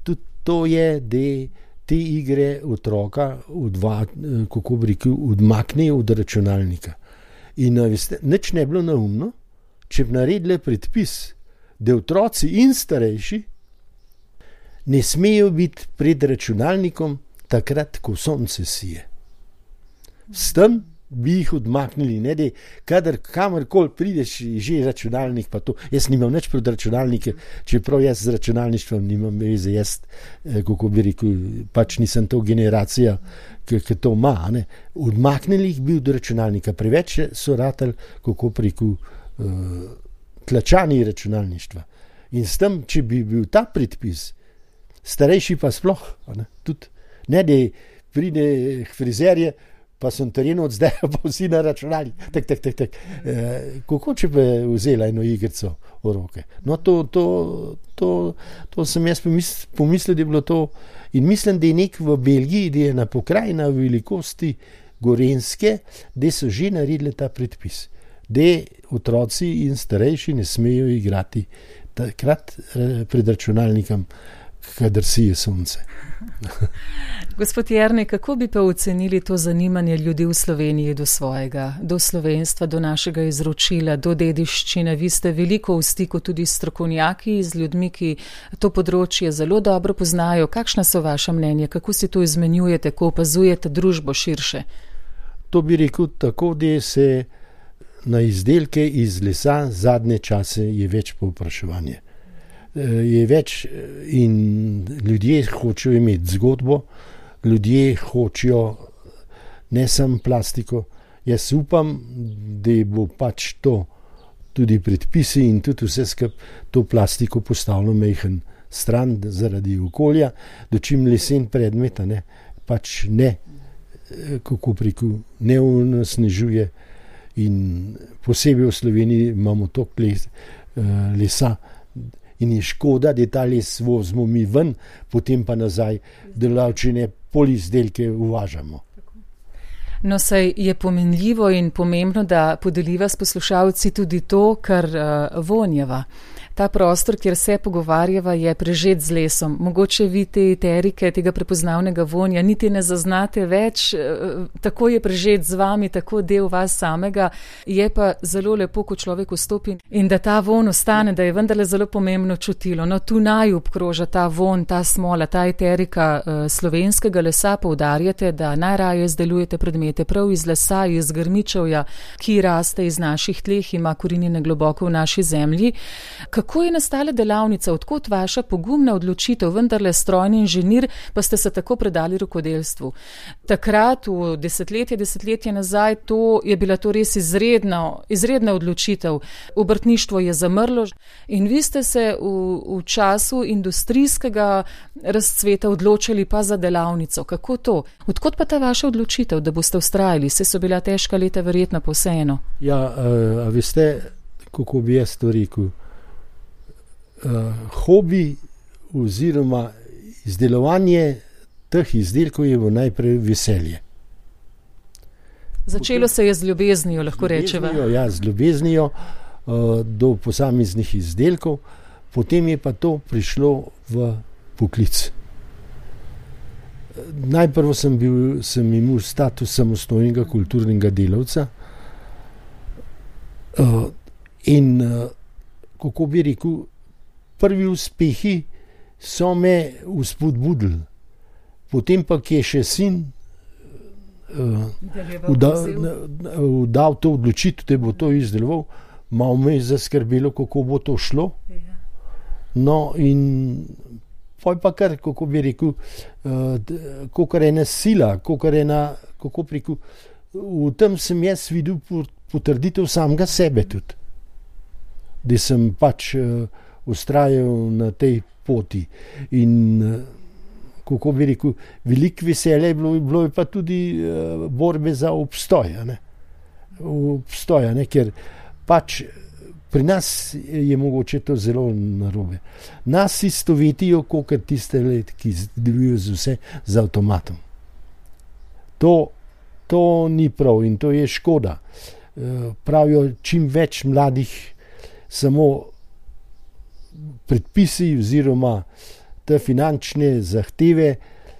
tudi to je, da te igre otroka kako bi rekel, odmaknejo od računalnika. In veste, nič ne bilo neumno, če bi naredili predpis, da otroci in starejši ne smejo biti pred računalnikom takrat, ko sonce sije. S tem bi jih odmaknili, ne, da kadar kamorkoli prideš, že računalnik pa to. Jaz nimam nič pred računalnike, čeprav jaz z računalništvom nimam veze, jaz, kako bi rekel, pač nisem to generacija, ki to ima, ne. Odmaknili jih bi od računalnika, preveč so ratali, kako bi rekel, tlačani računalništva. In s tem, če bi bil ta predpis, starejši pa sploh, ne, tudi, ne, da pride frizerje, pa sem terenu od zdaj, pa vsi na računalnik. Tak. Kako če bi vzela eno igrico v roke? No, to sem jaz pomislil, da je bilo to. In mislim, da je nek v Belgiji, da je na pokrajina velikosti Gorenjske, da so že naredili ta predpis. Da otroci in starejši ne smejo igrati takrat pred računalnikom, kadar sije sonce. Gospod Jernej, kako bi pa ocenili to zanimanje ljudi v Sloveniji do svojega, do slovenstva, do našega izročila, do dediščine? Vi ste veliko v stiku tudi s strokovnjaki, z ljudmi, ki to področje zelo dobro poznajo. Kakšna so vaša mnenja? Kako si to izmenjujete, ko opazujete družbo širše? To bi rekel tako, da se na izdelke iz lesa zadnje čase je več povpraševanje. Je več in ljudje hočejo imeti zgodbo, ljudje hočejo ne samo plastiko. Jaz upam, da bo pač to tudi predpisi in tudi vse skupaj to plastiko postavilo majhen stran zaradi okolja, da čim lesen predmet, ne, pač ne, kako rekel, ne onesnažuje. In posebej v Sloveniji imamo toliko lesa, in je škoda, da ta les vozimo mi ven, potem pa nazaj, da lavčine polizdelke uvažamo. No, saj je pomenljivo in pomembno, da podeliva s poslušalci tudi to, kar vonjava. Ta prostor, kjer se pogovarjava, je prežet z lesom. Mogoče vi te eterike, tega prepoznavnega vonja niti ne zaznate več, tako je prežet z vami, tako del vas samega. Je pa zelo lepo, ko človek vstopi in da ta von ostane, da je vendarle zelo pomembno čutilo. No, tu naj obkroža ta von, ta smola, ta eterika slovenskega lesa. Poudarjate, da najraje izdelujete predmete prav iz lesa, iz grmičevja, ki raste iz naših tleh, ima korenine globoko v naši zemlji. Kako je nastala delavnica, odkot vaša pogumna odločitev, vendarle strojni inženir, pa ste se tako predali rokodelstvu? Takrat, v desetletje nazaj, je bila to res izredna odločitev. Obrtništvo je zamrlo in vi ste se v času industrijskega razcveta odločili pa za delavnico. Kako to? Odkot pa ta vaša odločitev, da boste vztrajali? Se so bila težka leta verjetno pa vseeno. Ja, a veste, kako bi jaz to rekel? Hobi oziroma izdelovanje teh izdelkov je najprej veselje. Začelo se je z ljubeznijo, lahko rečeva. Ja, z ljubeznijo do posameznih izdelkov, potem je pa to prišlo v poklic. Najprej sem imel status samostojnega kulturnega delavca in kako bi rekel, prvi uspehi so me vzpodbudili. Potem pa, ki je še sin dal to odločitev, da bo to izdeloval, malo me je zaskrbelo, kako bo to šlo. No, in poj pa kar, kako bi rekel, kakor ena sila, kakor ena, kako bi rekel, v tem sem jaz videl potrditev samega sebe tudi. Da sem pač vztrajal na tej poti. In kako bi rekel, veliko veselje je bilo pa tudi borbe za obstoj. Obstoj, ker pač pri nas je mogoče to zelo narobe. Nas istovetijo, kakor tiste let, ki delujejo z vse z avtomatom. To ni prav in to je škoda. Pravijo, čim več mladih samo predpisi oziroma te finančne zahteve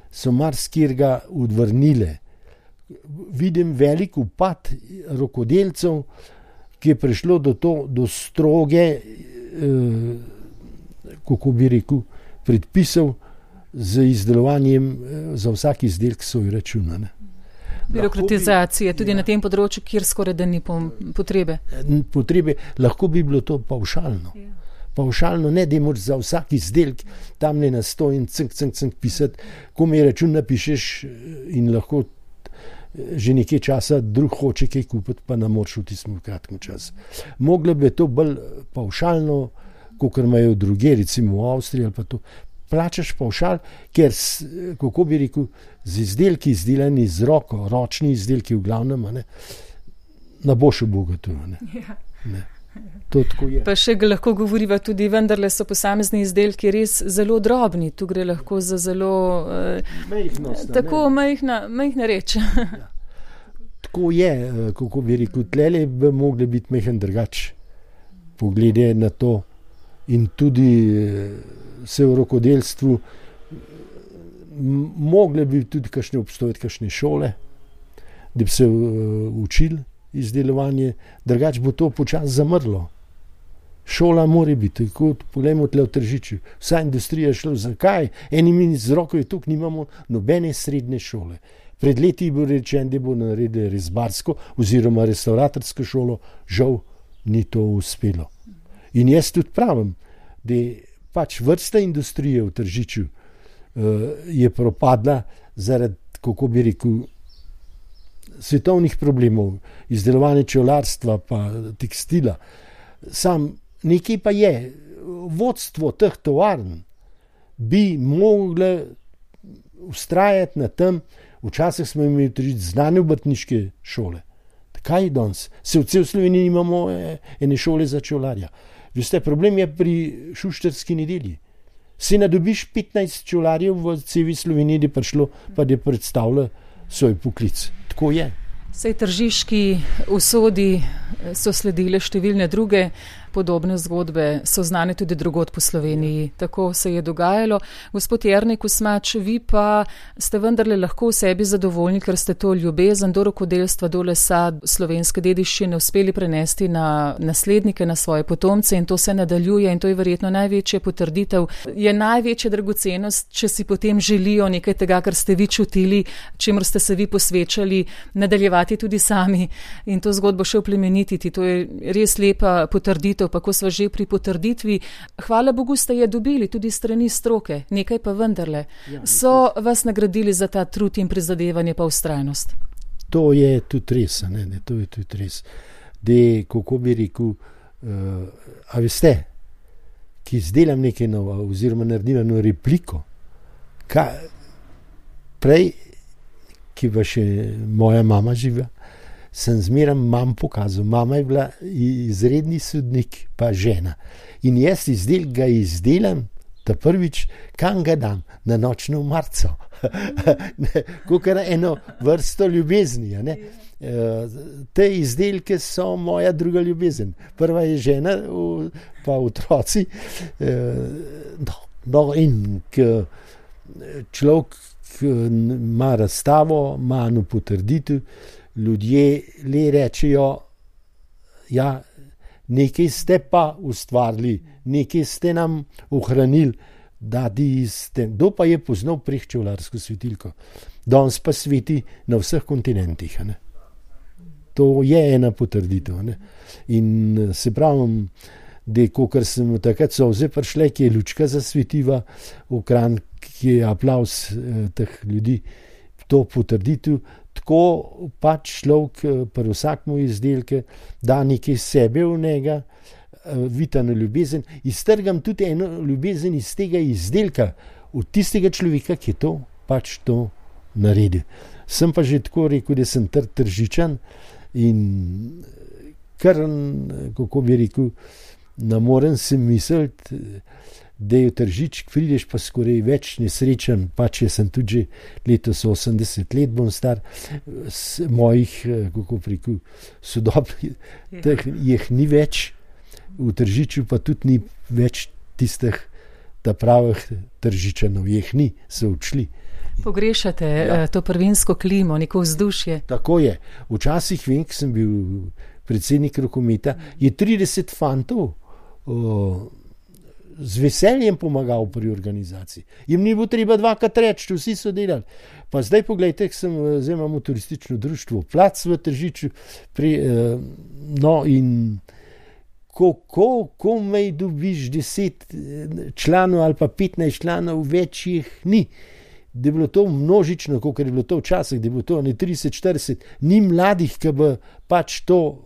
so marsikjerga odvrnile. Vidim velik upad rokodelcev, ki je prišlo do stroge, kako bi rekel, predpisov z izdelovanjem za vsak izdelek svoj računa. Birokratizacije, tudi na tem področju, kjer skoraj da ni potrebe. Lahko bi bilo to pavšalno. Pavšalno, ne da moraš za vsak izdelek tam ne na sto in cink pisati, ko mi račun napišeš in lahko že nekaj časa drug hoče kaj kupiti, pa ne moreš v tistem kratkem času. Moglo bi to bolj pavšalno, kakor imajo druge, recimo v Avstriji ali pa to. Plačaš pavšal, ker, kako bi rekel, z izdelki izdelani z roko, ročni izdelki v glavnem, ne boš obogatil. To tako je. Pa še lahko govoriva tudi, vendarle so posamezni izdelki res zelo drobni. Tu gre lahko za zelo tako majhna reč. Ja. Tako je, kako bi rekel, tlele bi mogli biti majhen drugač poglede na to in tudi se v rokodelstvu mogle bi tudi obstojati kakšne šole, da bi se učili izdelovanje, drugače bo to počasi zamrlo. Šola mora biti, tako poglejmo tle v Tržiču. Vsa industrija je šla, zakaj? Eni z roko je tukaj, nimamo nobene srednje šole. Pred leti bo rečen, da bo naredili rezbarsko oziroma restauratorsko šolo, žal ni to uspelo. In jaz tudi pravim, da pač vrsta industrije v Tržiču je propadla zaradi, kako bi rekel, svetovnih problemov, izdelovanja čevljarstva pa tekstila. Sam nekaj pa je, vodstvo teh tovarn bi moglo vztrajati na tem, včasih smo imeli tudi znane obrtniške šole. Kaj danes? Se v cel Sloveniji imamo ene šole za čevljarja. Veste, problem je pri šuštarski nedelji. Se nadobiš 15 čevljarjev v celi Sloveniji, da je prišlo, pa da je predstavlja svoj poklic. Tako je. Sej tržiški usodi so sledile številne druge podobne zgodbe, so znane tudi drugod po Sloveniji. Tako se je dogajalo. Gospod Jernej Kosmač, vi pa ste vendarle lahko v sebi zadovoljni, ker ste to ljubezen do rokodelstva, do lesa, slovenske dediščine uspeli prenesti na naslednike, na svoje potomce in to se nadaljuje in to je verjetno največja potrditev. Je največja dragocenost, če si potem želijo nekaj tega, kar ste vi čutili, čemur ste se vi posvečali, nadaljevati tudi sami in to zgodbo še oplemenititi. To je res lepa potrditev. Pa ko sva že pri potrditvi, hvala Bogu ste je dobili tudi strani stroke, nekaj pa vendarle. So vas nagradili za ta trud in prizadevanje pa vztrajnost? To je tudi res, to je tudi res. Da, kako bi rekel, a veste, ki izdelam nekaj novo oziroma naredim eno repliko, prej, ki pa še moja mama živa, sem zmeraj mam pokazal. Mama je bila izredni sodnik, pa žena. In jaz ga izdelam, ta prvič, kam ga dam? Na nočno marco. Kakor eno vrsto ljubezni. Te izdelke so moja druga ljubezen. Prva je žena, pa otroci. In človek ima razstavo, ima eno potrditev, ljudje le rečejo, ja, nekaj ste pa ustvarili, nekaj ste nam ohranili, kdo pa je poznal prek čevljarsko svetilko. Danes pa sveti na vseh kontinentih. To je ena potrditev. In se pravim, da kokar sem mu takrat solze prišle, ki je lučka zasvetiva v Kranj, ki je aplavz teh ljudi, to potrditev, tako pač človek pri vsakmu izdelke da nekaj sebe v njega, vitano ljubezen, iztrgam tudi eno ljubezen iz tega izdelka, od tistega človeka, ki je to pač to naredil. Sem pa že tako rekel, da sem tržičan in kar, kako bi rekel, ne morem se misliti, da je v Tržič, prideš pa skoraj več nesrečen, pač jaz sem tudi že letos 80 let bom star, mojih, kako bi rekel, sodobnih, jih ni več, v Tržiču pa tudi ni več tistih ta pravih Tržičanov, jih ni, so odšli. Pogrešate to prvinsko klimo, neko vzdušje. Tako je. Včasih vem, ko sem bil predsednik rokometa, je 30 fantov z veseljem pomagal pri organizaciji. Jim ni bilo treba dvakrat reči, vsi so delali. Pa zdaj pogledajte, zdaj imamo turistično društvo Plac v Tržiču, no in ko mej dobiš 10 članov ali pa 15 članov, več jih ni. Da je bilo to množično, kot je bilo to včasih, da je bilo to 30-40, ni mladih, ki bi pač to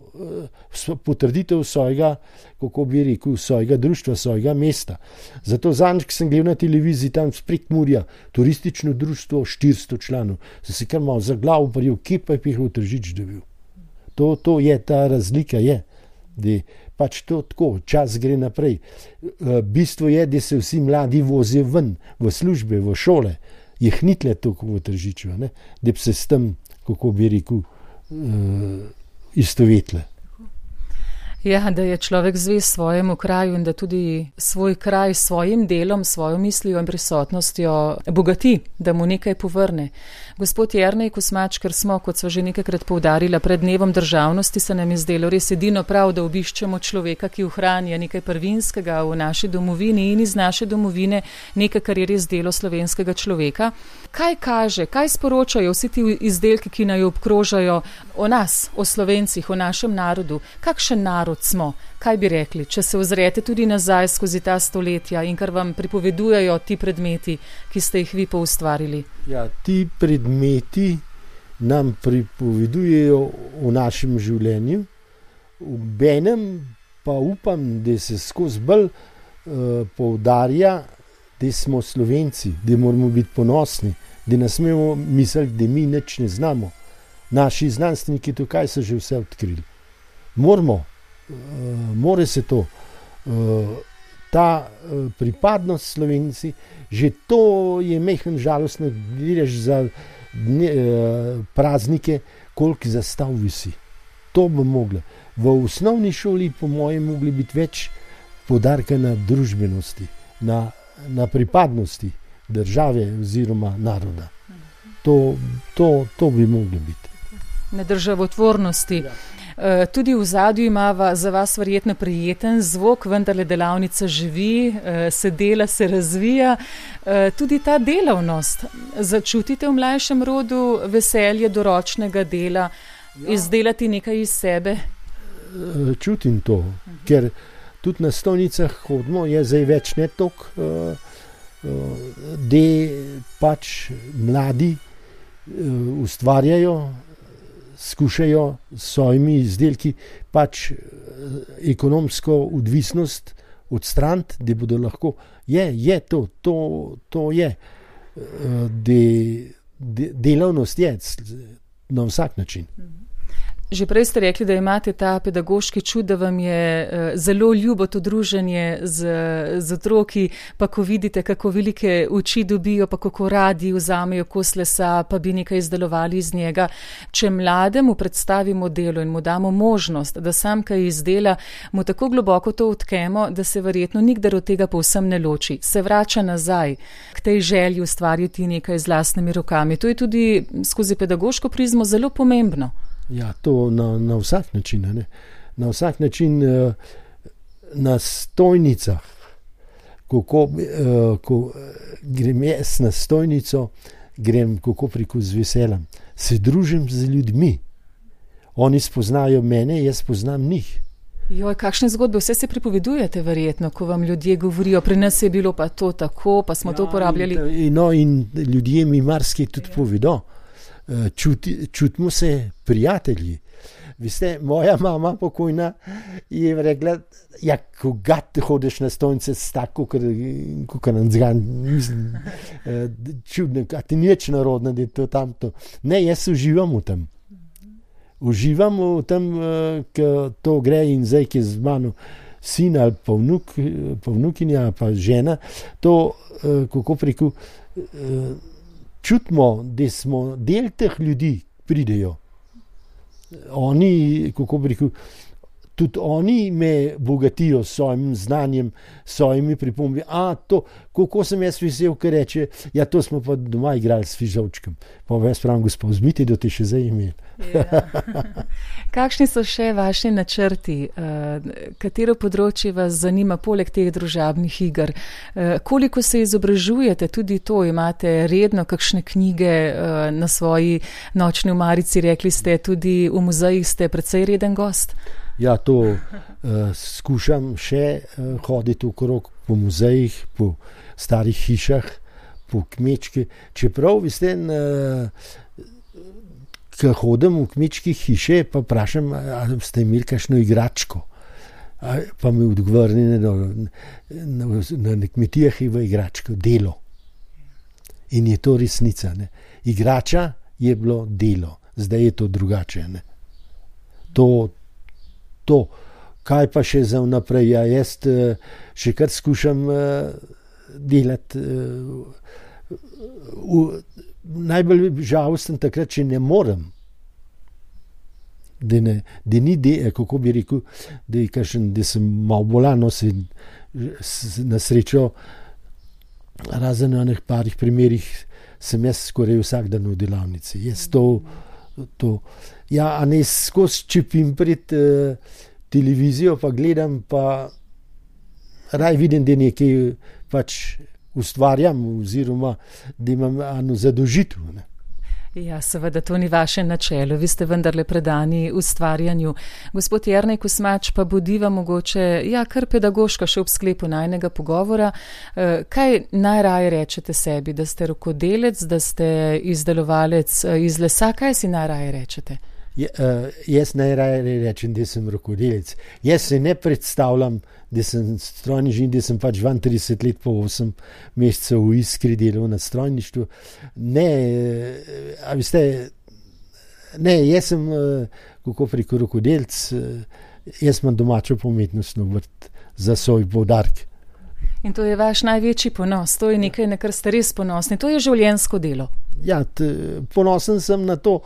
potrditev svojega, kako bi rekel, svojega društva, svojega mesta. Zato zadnjič, ko sem gledal na televiziji tam s Prekmurja, turistično društvo 400 članov, sem se kar malo za glavo prijel, kje pa je Pehov Tržič dobil. To je, ta razlika je, da pač to tako, čas gre naprej. Bistvo je, da se vsi mladi vozijo ven, v službe, v šole, jih ni tle toliko v Tržiču, ne? Da bi se s tem, kako bi rekel, istovetle. Ja, da je človek zvest svojemu kraju in da tudi svoj kraj s svojim delom, svojo mislijo in prisotnostjo bogati, da mu nekaj povrne. Gospod Jernej Kosmač, ker smo, kot sva že nekajkrat poudarila, pred dnevom državnosti, se nam je zdelo res edino prav, da obiščemo človeka, ki ohranja nekaj prvinskega v naši domovini in iz naše domovine, nekaj, kar je res delo slovenskega človeka. Kaj kaže, kaj sporočajo vsi ti izdelki, ki naj obkrožajo o nas, o Slovencih, o našem narodu? Kakšen narod smo? Kaj bi rekli, če se ozrete tudi nazaj skozi ta stoletja in kar vam pripovedujejo ti predmeti, ki ste jih vi poustvarili? Ja, ti predmeti nam pripovedujejo o našem življenju, obenem pa upam, da se skozi bolj poudarja, da smo Slovenci, da moramo biti ponosni, da ne smemo misliti, da mi nič ne znamo. Naši znanstveniki tukaj so že vse odkrili. More se to. Ta pripadnost Slovenci, že to je mehen žalostno, gledaš za praznike, koliko zastav visi. To bi mogli. V osnovni šoli po mojem mogli biti več poudarka na družbenosti, na pripadnosti države oziroma naroda. To bi mogli biti. Na državotvornosti. Ja. Tudi v zadju imava za vas verjetno prijeten zvok, vendarle delavnica živi, se dela, se razvija. Tudi ta delavnost, začutite v mlajšem rodu veselje do ročnega dela, izdelati nekaj iz sebe? Čutim to, ker tudi na stojnicah hodimo, je zdaj več ne toliko, da pač mladi ustvarjajo, skušajo s svojimi izdelki pač ekonomsko odvisnost odstraniti, da bodo lahko, to je, delavnost je na vsak način. Že prej ste rekli, da imate ta pedagoški čut, da vam je zelo ljubo to druženje z otroki, pa ko vidite, kako velike oči dobijo, pa kako radi vzamejo kos lesa, pa bi nekaj izdelovali iz njega. Če mlademu predstavimo delo in mu damo možnost, da sam kaj izdela, mu tako globoko to odkemo, da se verjetno nikdar od tega povsem ne loči. Se vrača nazaj k tej želji ustvariti nekaj z lastnimi rokami. To je tudi skozi pedagoško prizmo zelo pomembno. Ja, to na vsak način, ne? Na vsak način na stojnicah, ko grem jaz na stojnico, grem kako preko z veseljem, se družim z ljudmi. Oni spoznajo mene, jaz poznam njih. Joj, kakšne zgodbe vse se pripovedujete verjetno, ko vam ljudje govorijo, pri nas je bilo pa to tako, pa smo to uporabljali. In ljudje mi marsikaj tudi povedo. Čutimo se prijatelji. Veste, moja mama pokojna je rekla, ja, koga te hodiš na stojnice s tako, kot nam zgan, mislim, čudno, a ti nič narodno, da je to tamto. Ne, jaz uživam v tem. Uživam v tem, ko to gre in zdaj, ki je z mano sin ali pa vnukinja, pa žena, to, kako preko, čutimo, da smo del teh ljudi, pridejo. Oni, kako bi rekel, tudi oni me bogatijo s svojim znanjem, s svojimi pripombi. Kako sem jaz vesel, ker reče, ja, to smo pa doma igrali s fižolčkom. Pa jaz pravim, gospod, vzmite, da te še zdaj imeli. Ja. Kakšni so še vaši načrti? Katero področje vas zanima poleg teh družabnih iger? Koliko se izobražujete? Tudi to imate redno, kakšne knjige na svoji nočni omarici, rekli ste, tudi v muzejih ste precej reden gost? Ja, to skušam še hoditi okrog po muzejih, po starih hišah, po kmečki. Čeprav, veste, ko hodim v kmečke hiše, pa vprašam, ali ste imeli kakšno igračko. Pa mi odgovorni, na kmetijah je v igračko delo. In je to resnica. Ne? Igrača je bilo delo, zdaj je to drugače. Ne? To, kaj pa še za vnaprej, ja, jaz še kar skušam delati. Najbolj žalosten takrat, če ne morem. Da ni, kako bi rekel, da sem malo bolan, na srečo, razen v enih parih primerih, sem jaz skoraj vsak dan v delavnici. Jaz ja, a ne skozi čepim pred televizijo, pa gledam, pa raj vidim, da nekaj pač ustvarjam, oziroma da imam eno zadožitev. Ne? Ja, seveda, to ni vaše načelo, vi ste vendarle predani ustvarjanju. Gospod Jernej Kosmač, pa bodiva mogoče, ja, kar pedagoška še ob sklepu najnega pogovora. Kaj najraje rečete sebi, da ste rokodelec, da ste izdelovalec iz lesa, kaj si najraje rečete? Jaz najraje rečem, da sem rokodelec. Jaz se ne predstavljam, da sem strojni žin, da sem pač 32 let po 8 mesecev v Iskri delal na strojništvu. Ne, a veste, ne, jaz sem, kako preko rokodelc, jaz imam domačo umetnostno vrt za svoj poudarek. In to je vaš največji ponos, to je nekaj, na kar ste res ponosni, to je življenjsko delo. Ja, ponosen sem na to,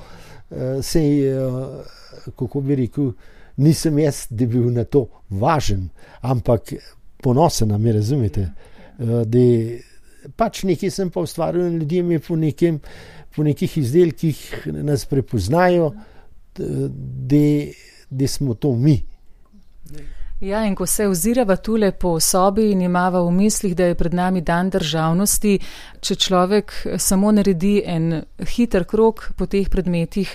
kako bi rekel, nisem jaz, da bi bil na to važen, ampak ponosen, me razumete, da pač nekaj sem pa ustvaril in ljudje mi po nekih izdelkih nas prepoznajo, da smo to mi. Ja, in ko se ozirava tule po sobi in imava v mislih, da je pred nami dan državnosti, če človek samo naredi en hiter krog po teh predmetih,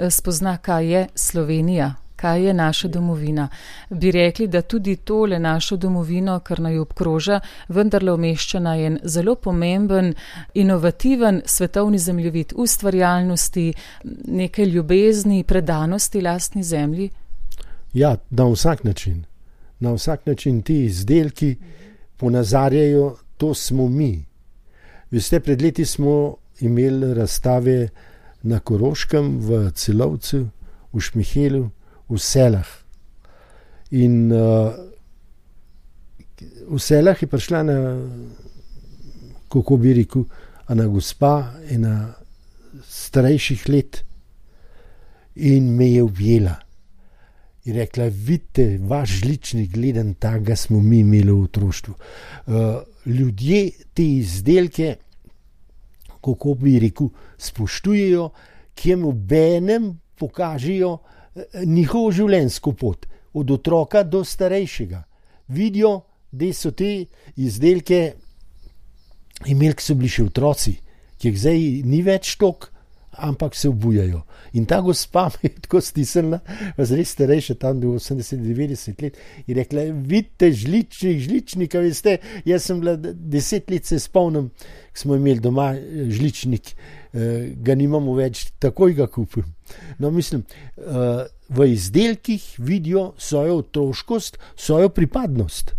spozna, kaj je Slovenija, kaj je naša domovina. Bi rekli, da tudi tole našo domovino, kar naj obkroža, vendarle umešča na en zelo pomemben, inovativen svetovni zemljevid ustvarjalnosti, neke ljubezni, predanosti lastni zemlji? Ja, na vsak način. Na vsak način ti izdelki ponazarjajo, to smo mi. Veste, pred leti smo imeli razstave na Koroškem, v Celovcu, v Šmihelu, v Selah. In v Selah je prišla kako bi rekel, ena gospa, ena starejših let in me je objela. In rekla, vidite, vaš žličnik gleden, takega smo mi imeli v otroštvu. Ljudje te izdelke, kako bi rekel, spoštujejo, ki jim obenem pokažejo njihovo življenjsko pot, od otroka do starejšega. Vidijo, da so te izdelke imeli, ki so bili še otroci, ki jih zdaj ni več toliko, ampak se obujajo. In ta gospa me je tako stisnila, res starejša, tam do 80-90 let, in rekla, vidite, žličnik, veste, jaz sem bila 10 let, se spomnim, smo imeli doma žličnik, ga nimamo več, takoj ga kupim. No, mislim, v izdelkih vidijo svojo otroškost, svojo pripadnost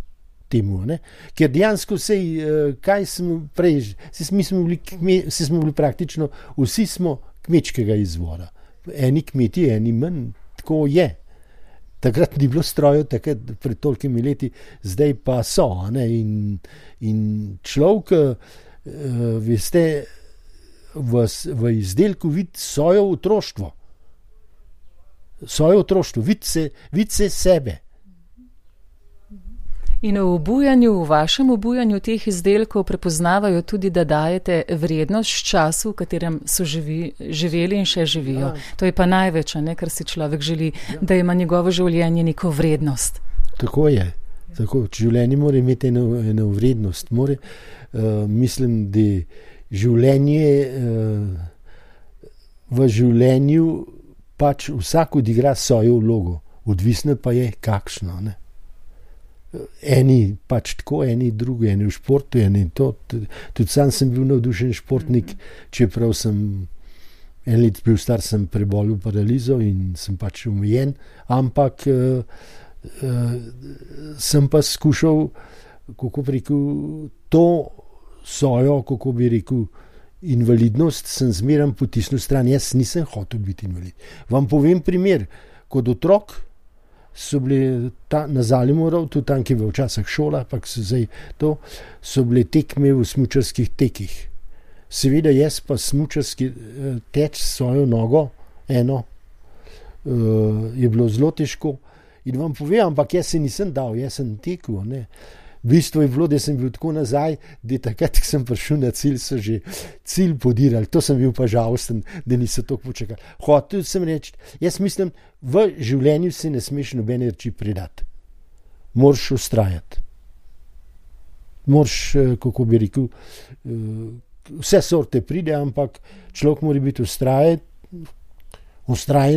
temu, ne? Ker dejansko kaj smo prej, smo bili praktično, vsi smo kmečkega izvora. Eni kmeti, eni manj, tako je. Takrat ni bilo strojev, takrat pred tolikimi leti, zdaj pa so, ne? In človek, veste, v izdelku vidi svoje otroštvo. Svoje otroštvo, vidi se sebe. In v vašem obujanju teh izdelkov prepoznavajo tudi, da dajete vrednost času, v katerem so živeli in še živijo. Ja. To je pa največ, kar si človek želi, da ima njegovo življenje neko vrednost. Tako je. Tako, življenje mora imeti eno vrednost. Mislim, da v življenju pač vsak odigra svojo vlogo. Odvisno pa je, kakšno, ne? Eni pač tako, eni drugi, eni v športu, eni to. Tudi sam sem bil navdušen športnik, čeprav sem en let bil star, sem prebolel paralizo in sem pač omejen, ampak sem pa skušal, kako bi rekel, to svojo, kako bi rekel, invalidnost sem zmeraj potisnil stran. Jaz nisem hotel biti invalid. Vam povem primer, kot otrok so bile na Zalimoru, tudi tam, ki je v včasih šola, pa so bile tekme v smučarskih tekih. Seveda jaz pa smučarski teč svojo nogo, eno, je bilo zelo težko. In vam povem, ampak jaz se nisem dal, jaz sem tekel, ne. Bistvo je bilo, da sem bil tako nazaj, da takrat, ko sem prišel na cilj, so že cilj podirali. To sem bil pa žalosten, da niso toliko počakali. Hotel sem reči, jaz mislim, v življenju se ne smeš nobene reči predati. Moraš vztrajati. Moraš, kako bi rekel, vse sorte pride, ampak človek mora biti vztrajen,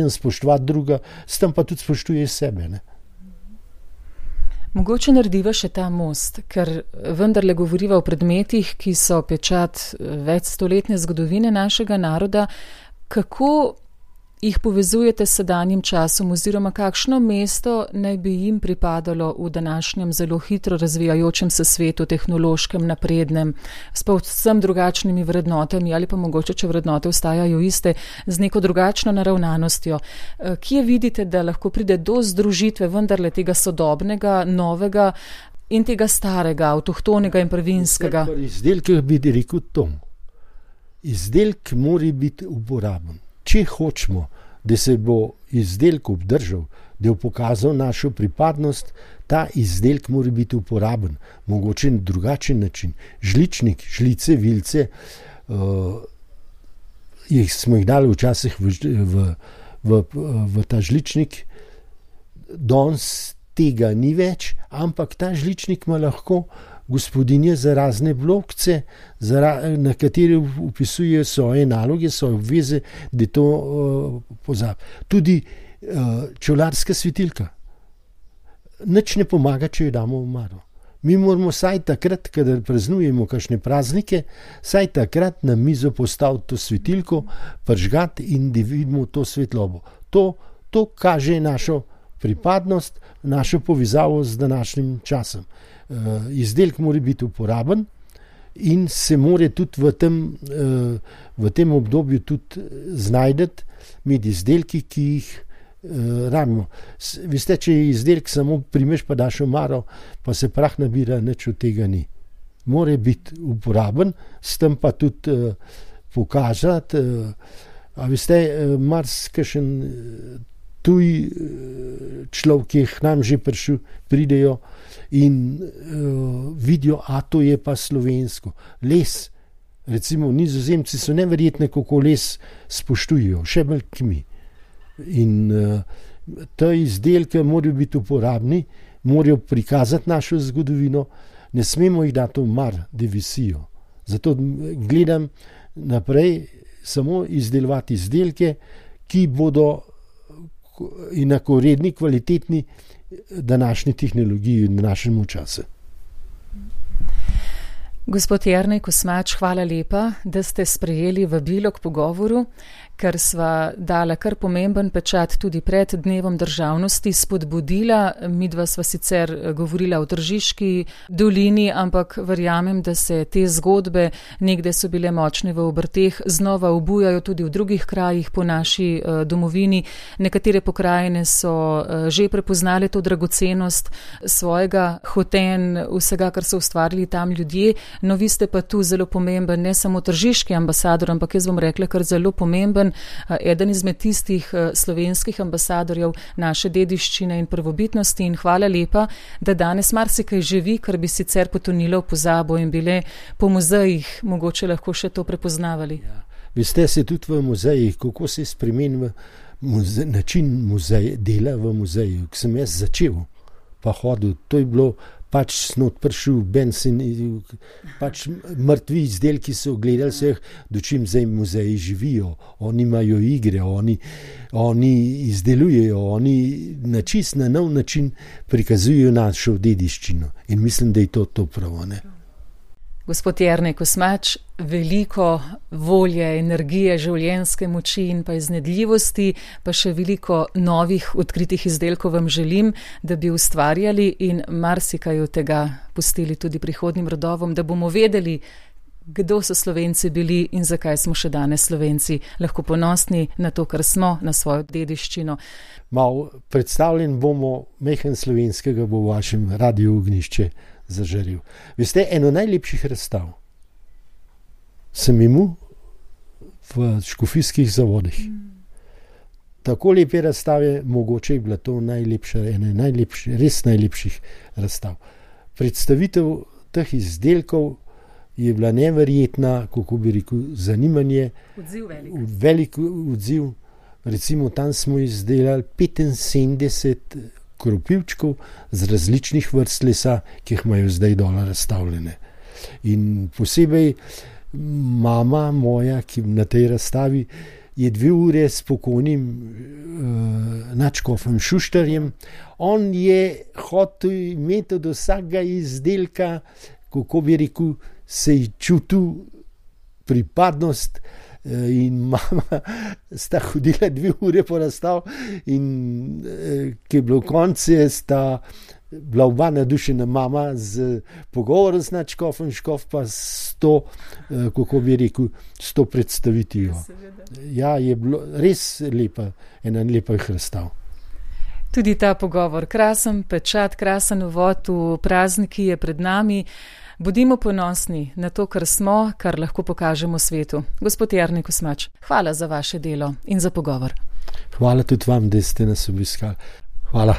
spoštovati druga, s tem pa tudi spoštuje sebe, ne. Mogoče narediva še ta most, ker vendarle govoriva o predmetih, ki so pečat večstoletne zgodovine našega naroda. Kako jih povezujete s sedanjim časom oziroma kakšno mesto naj bi jim pripadalo v današnjem zelo hitro razvijajočem se svetu, tehnološkem, naprednem, s povsem drugačnimi vrednotami ali pa mogoče, če vrednote ostajajo iste, z neko drugačno naravnanostjo. Kje vidite, da lahko pride do združitve vendarle tega sodobnega, novega in tega starega, avtohtonega in prvinskega? Izdelek bi rekel to. Izdelek mora biti uporaben. Če hočemo, da se bo izdelek obdržal, da bo pokazal našo pripadnost, ta izdelek mora biti uporaben, mogoče na drugačen način. Žličnik, žlice, vilce, smo jih dali včasih v ta žličnik, danes tega ni več, ampak ta žličnik ima lahko gospodinje za razne blokce, na katere upisujejo svoje naloge, svoje obveze, da to pozabi. Tudi čevljarska svetilka. Nič ne pomaga, če jo damo v omaro. Mi moramo vsaj takrat, kadar praznujemo kakšne praznike, vsaj takrat na mizo postaviti to svetilko, prižgati in da vidimo to svetlobo. To kaže našo pripadnost, našo povezavo z današnjim časom. Izdelek mora biti uporaben in se mora tudi v tem obdobju tudi znajdeti med izdelki, ki jih rabimo. Veste, če je izdelek samo primeš pa daš v omaro, pa se prah nabira, nič od tega ni. Mora biti uporaben, s tem pa tudi pokazati. A veste, marsikšen tuj človek, ki je k nam že prišel, pridejo in vidijo, a to je pa slovensko. Les, recimo Nizozemci so neverjetne, kako les spoštujejo, še bolj k mi. In te izdelke morajo biti uporabni, morajo prikazati našo zgodovino, ne smemo jih dati v mar, da visijo. Zato gledam naprej, samo izdelovati izdelke, ki bodo enakovredni, kvalitetni današnji tehnologiji in današnjemu času. Gospod Jernej Kosmač, hvala lepa, da ste sprejeli vabilo k pogovoru, ker sva dala kar pomemben pečat tudi pred Dnevom državnosti, spodbudila. Midva sva sicer govorila o Tržiški dolini, ampak verjamem, da se te zgodbe, nekde so bile močne v obrteh, znova obujajo tudi v drugih krajih po naši domovini. Nekatere pokrajine so že prepoznale to dragocenost svojega hotenj, vsega, kar so ustvarili tam ljudje. No, vi ste pa tu zelo pomemben, ne samo tržiški ambasador, ampak jaz bom rekla, kar zelo pomemben, eden izmed tistih slovenskih ambasadorjev naše dediščine in prvobitnosti, in hvala lepa, da danes marsikaj živi, kar bi sicer potonilo v pozabo in bile po muzejih mogoče lahko še to prepoznavali. Ja. Vi ste se tudi v muzejih, kako se spremeni način dela v muzeju, ko sem jaz začel pa hodil, to je bilo pač snot pršil bensin, pač mrtvi izdelki so gledali se, dočim zdaj muzeji živijo, oni imajo igre, oni izdelujejo, oni na čist na nov način prikazujejo našo dediščino in mislim, da je to prav, ne? Gospod Jernej Kosmač, veliko volje, energije, življenjske moči in pa iznajdljivosti, pa še veliko novih odkritih izdelkov vam želim, da bi ustvarjali in marsikaj od tega pustili tudi prihodnjim rodovom, da bomo vedeli, kdo so Slovenci bili in zakaj smo še danes Slovenci lahko ponosni na to, kar smo, na svojo dediščino. Mal predstavljen bomo, majhen slovenskega bo v vašem Radiu Ognjišče zažaril. Veste, eno najlepših razstav sem imel v Škofijskih zavodih. Tako lepe razstave, mogoče je bila to ena res najlepših razstav. Predstavitev teh izdelkov je bila neverjetna, kako bi rekel, zanimanje. Velik odziv. Recimo tam smo izdelali 75 kropivčkov z različnih vrst lesa, ki jih imajo zdaj dole razstavljene. In posebej mama moja, ki na tej razstavi je 2 ure s pokojnim nadškofom Šuštarjem. On je hotel imeti od vsakega izdelka, kako bi rekel, se je čutil pripadnost, in mama sta hodila 2 ure po razstav in ki je bilo konce, sta bila oba nadušena, mama z pogovorom z nadškofom, škof pa s to, kako bi rekel, s to predstavitijo. Ja, je bilo res lepa, ena lepih razstav. Tudi ta pogovor, krasen pečat, krasen uvod v praznik, ki je pred nami. Bodimo ponosni na to, kar smo, kar lahko pokažemo svetu. Gospod Jernej Kosmač, hvala za vaše delo in za pogovor. Hvala tudi vam, da ste nas obiskali. Hvala.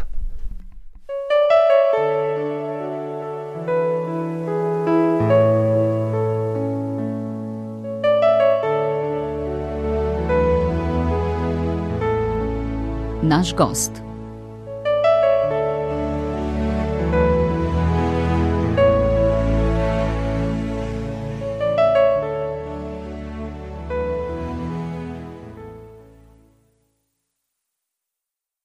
Naš gost.